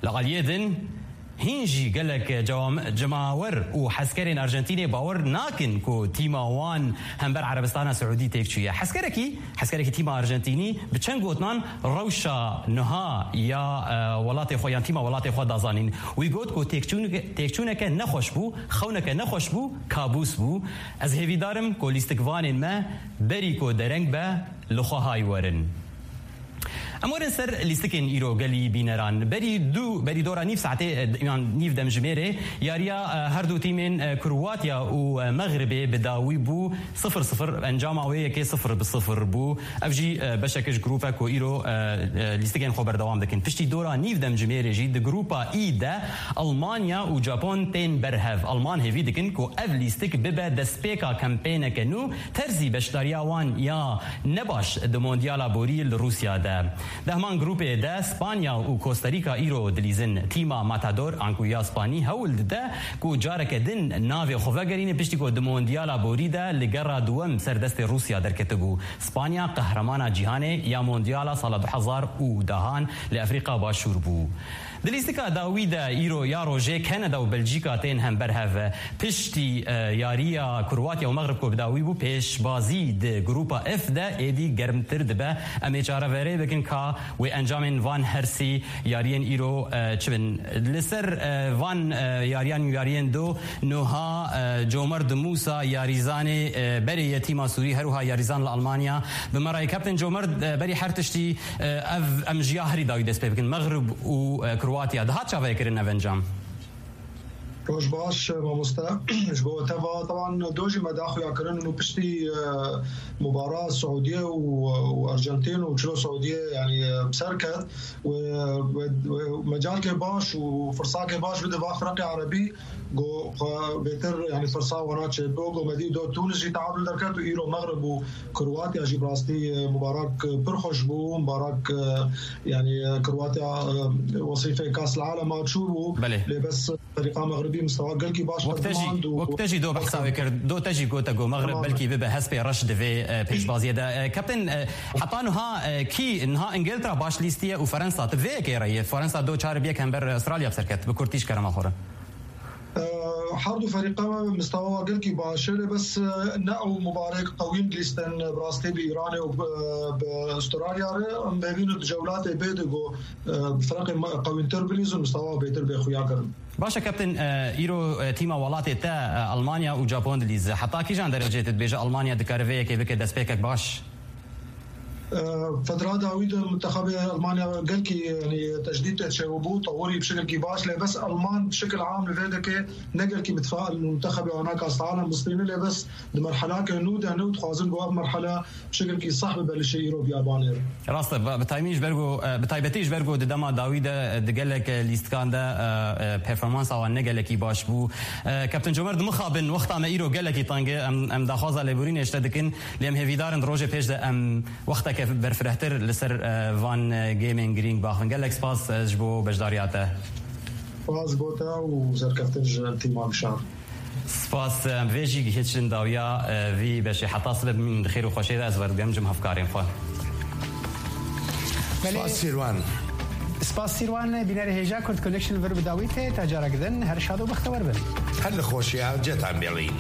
Li aliyê din, hîn jî gelek cewam-, cemawer û heskerên Arjantînê bawer nakin ku tîma wan hember Erebistana Siûdî têk çûye. Heskerekî, heskerekî tîma Arjantînî bi çend gotinan rewşa niha ya, e, welatê xwe yan tîma welatê xwe da zanîn. Wî got ku têkçûneke, têkçûneke nexweş bû, xewneke nexweş bû, kabûs bû. Ez hêvîdar im ku lîstikvanên me berî ku dereng be, li xwe hay werin. Em werin ser lîstikên îro gelî bîneran. Berî du, berî dora nîv saetê, e, yan nîv demjimêrê, yariya, e, her du tîmên, e, Kroatya û, e, Mexribê bi dawî bû, sifir sifir, encama wê yekê sifir bi sifir bû. Ev jî, e, beşek ji grûpe ku îro, e, e, lîstikên xwe berdewam dikin. Piştî dora nîv demjimêrê jî di grûpa E de Almanya û Japon tên berhev. Alman hêvî dikin ku ev lîstik bibe destpêka kempêneke nû, terzî beşdariya wan ya nebaş di Mondiyala borî li Rûsya de. Di heman grûpê de Spanya û Kosta Rîka îro dilîzin. Tîma Matador anku ya Spanî hewl dide ku careke din navê xwe vegerîne, piştî ku di Mondiyala borî de li gera duwem ser destê Rûsya derketibû. Spanya qehremana cîhanê ya Mondiyala sala du hezar û dehan li Efrîka Başûr bû. Di lîstika dawî de îro ya rojê Kanada û Belcîka tên hember hev. Piştî, e, yariya Kroatya û Mexrib ku bi dawî bû, pêşbazî di grûpa F de êdî germtir dibe. Em ê çareverê bikin ka wê encamên van hersî yariyên îro, e, çi bin. Li ser, e, van, e, yariyan û yariyên do, nuha, e, Comerd Musa, yarîzanê, e, berê ye tîma Sûrî, her wiha yarîzan li Almanya, bi me re ye. Kapten Comerd, e, berî her tiştî, e, ev, em ji ya herî dawî dest pê bikin. Mexrib û, e, Kroatya. Dihat çavekirin ev encam? Roj baş, mamoste. Ji bo te ve, teban do jî me daxuya kirin û piştî, e, mubara Siûdiye û, û Arjantin û çilo Siûdiye, yanî, e, bi ser ket, wê, wê, wê mecalkê baş û firsakê baş bide va firqê erebî, ku xwe bêtir, yanî, firsa wana çêbibo, ku me dî do Tunis jî teadul derket û îro Mexrib û Kroatya jî bi rastî, e, mubarak, e, pir xweş bû, mubarak, e, yanî, e, Kroatya, e, wesîfê Kas el Alema çûbû. Belê. Lê bes Ferîqa Mexribî mistewa gelkî baş Wek te jî, qedimand û wek te jî do behsa wê kir, do te jî gote ku Mexrib Tamam. belkî bibe hespê reş di vê, e, pêşbaziyê de. E, Kapten, e, heta niha, e, kî niha Îngiltere baş lîstiye û Ferensa, tu vê yekê re yê? Ferensa do çar bi yek hember Australya bi ser ket, bi kurtî ji kerema xwe re. E, her du ferîqa me mistewa gelkî baş e, lê bes, e, ne ew mubarek qewîn lîsten, e, bi rastî bi Îranê û bi, bi Australya re, em bêvîn û di cewlatê bê de ku, e, bi firqê me qewîntir bilîzin, mistewa bêtir bê xuya kirin. Baş e, Kapten, e, îro, e, tîma welatê te, e, Almanya û Japon dilîze. Heta kîjan derecê tu dibêje Almanya dikare vê yekê bike destpêkek baş? E, fedra dawî de mintexabê Almanya gelkî, yanî, tejdîd tê çêbû, tewirî bi şekilkî baş, lê bes Alman bi şekil am li vê dekê ne gelkî mitfail li mintexabê wana Kas Alem bistîne, lê bes di merhelake nû de ne û dixwazin ku ev merhele bi şekilkî seh bibe li şê îro biyabanê re. Rast e, bi, bi taybetî ji ber ku, e, bi taybetî ji ber ku di dema dawî de, e, di gelek, e, lîstikan de, e, e, performansa wan ne gelekî baş bû. E, Kapten Comer, dimixabin, wexta me îro gelekî teng e, em, em daxwaza lêborînê ji te dikin, lê em hêvîdar in di rojê pêş de em wextek berfirehtir li ser e, van e, gamên girîng baxin. Gelek spas e, ji bo beşdariya te. Spas bo te û serkeftin ji tîma Gişar. Spas, em vê jî gihîştin dawiya e, vî beşê. Heta sibe bimînin di xêr û xweşê de, ez werdigem cim hevkarên xwe. Belê. Spas Sîrwan. Spas Sîrwan, bînerê hêja Kurd Connection vir bi dawî tê, ta carek din her şad û bextewer bin. Her li xweşiya cetan bêlî.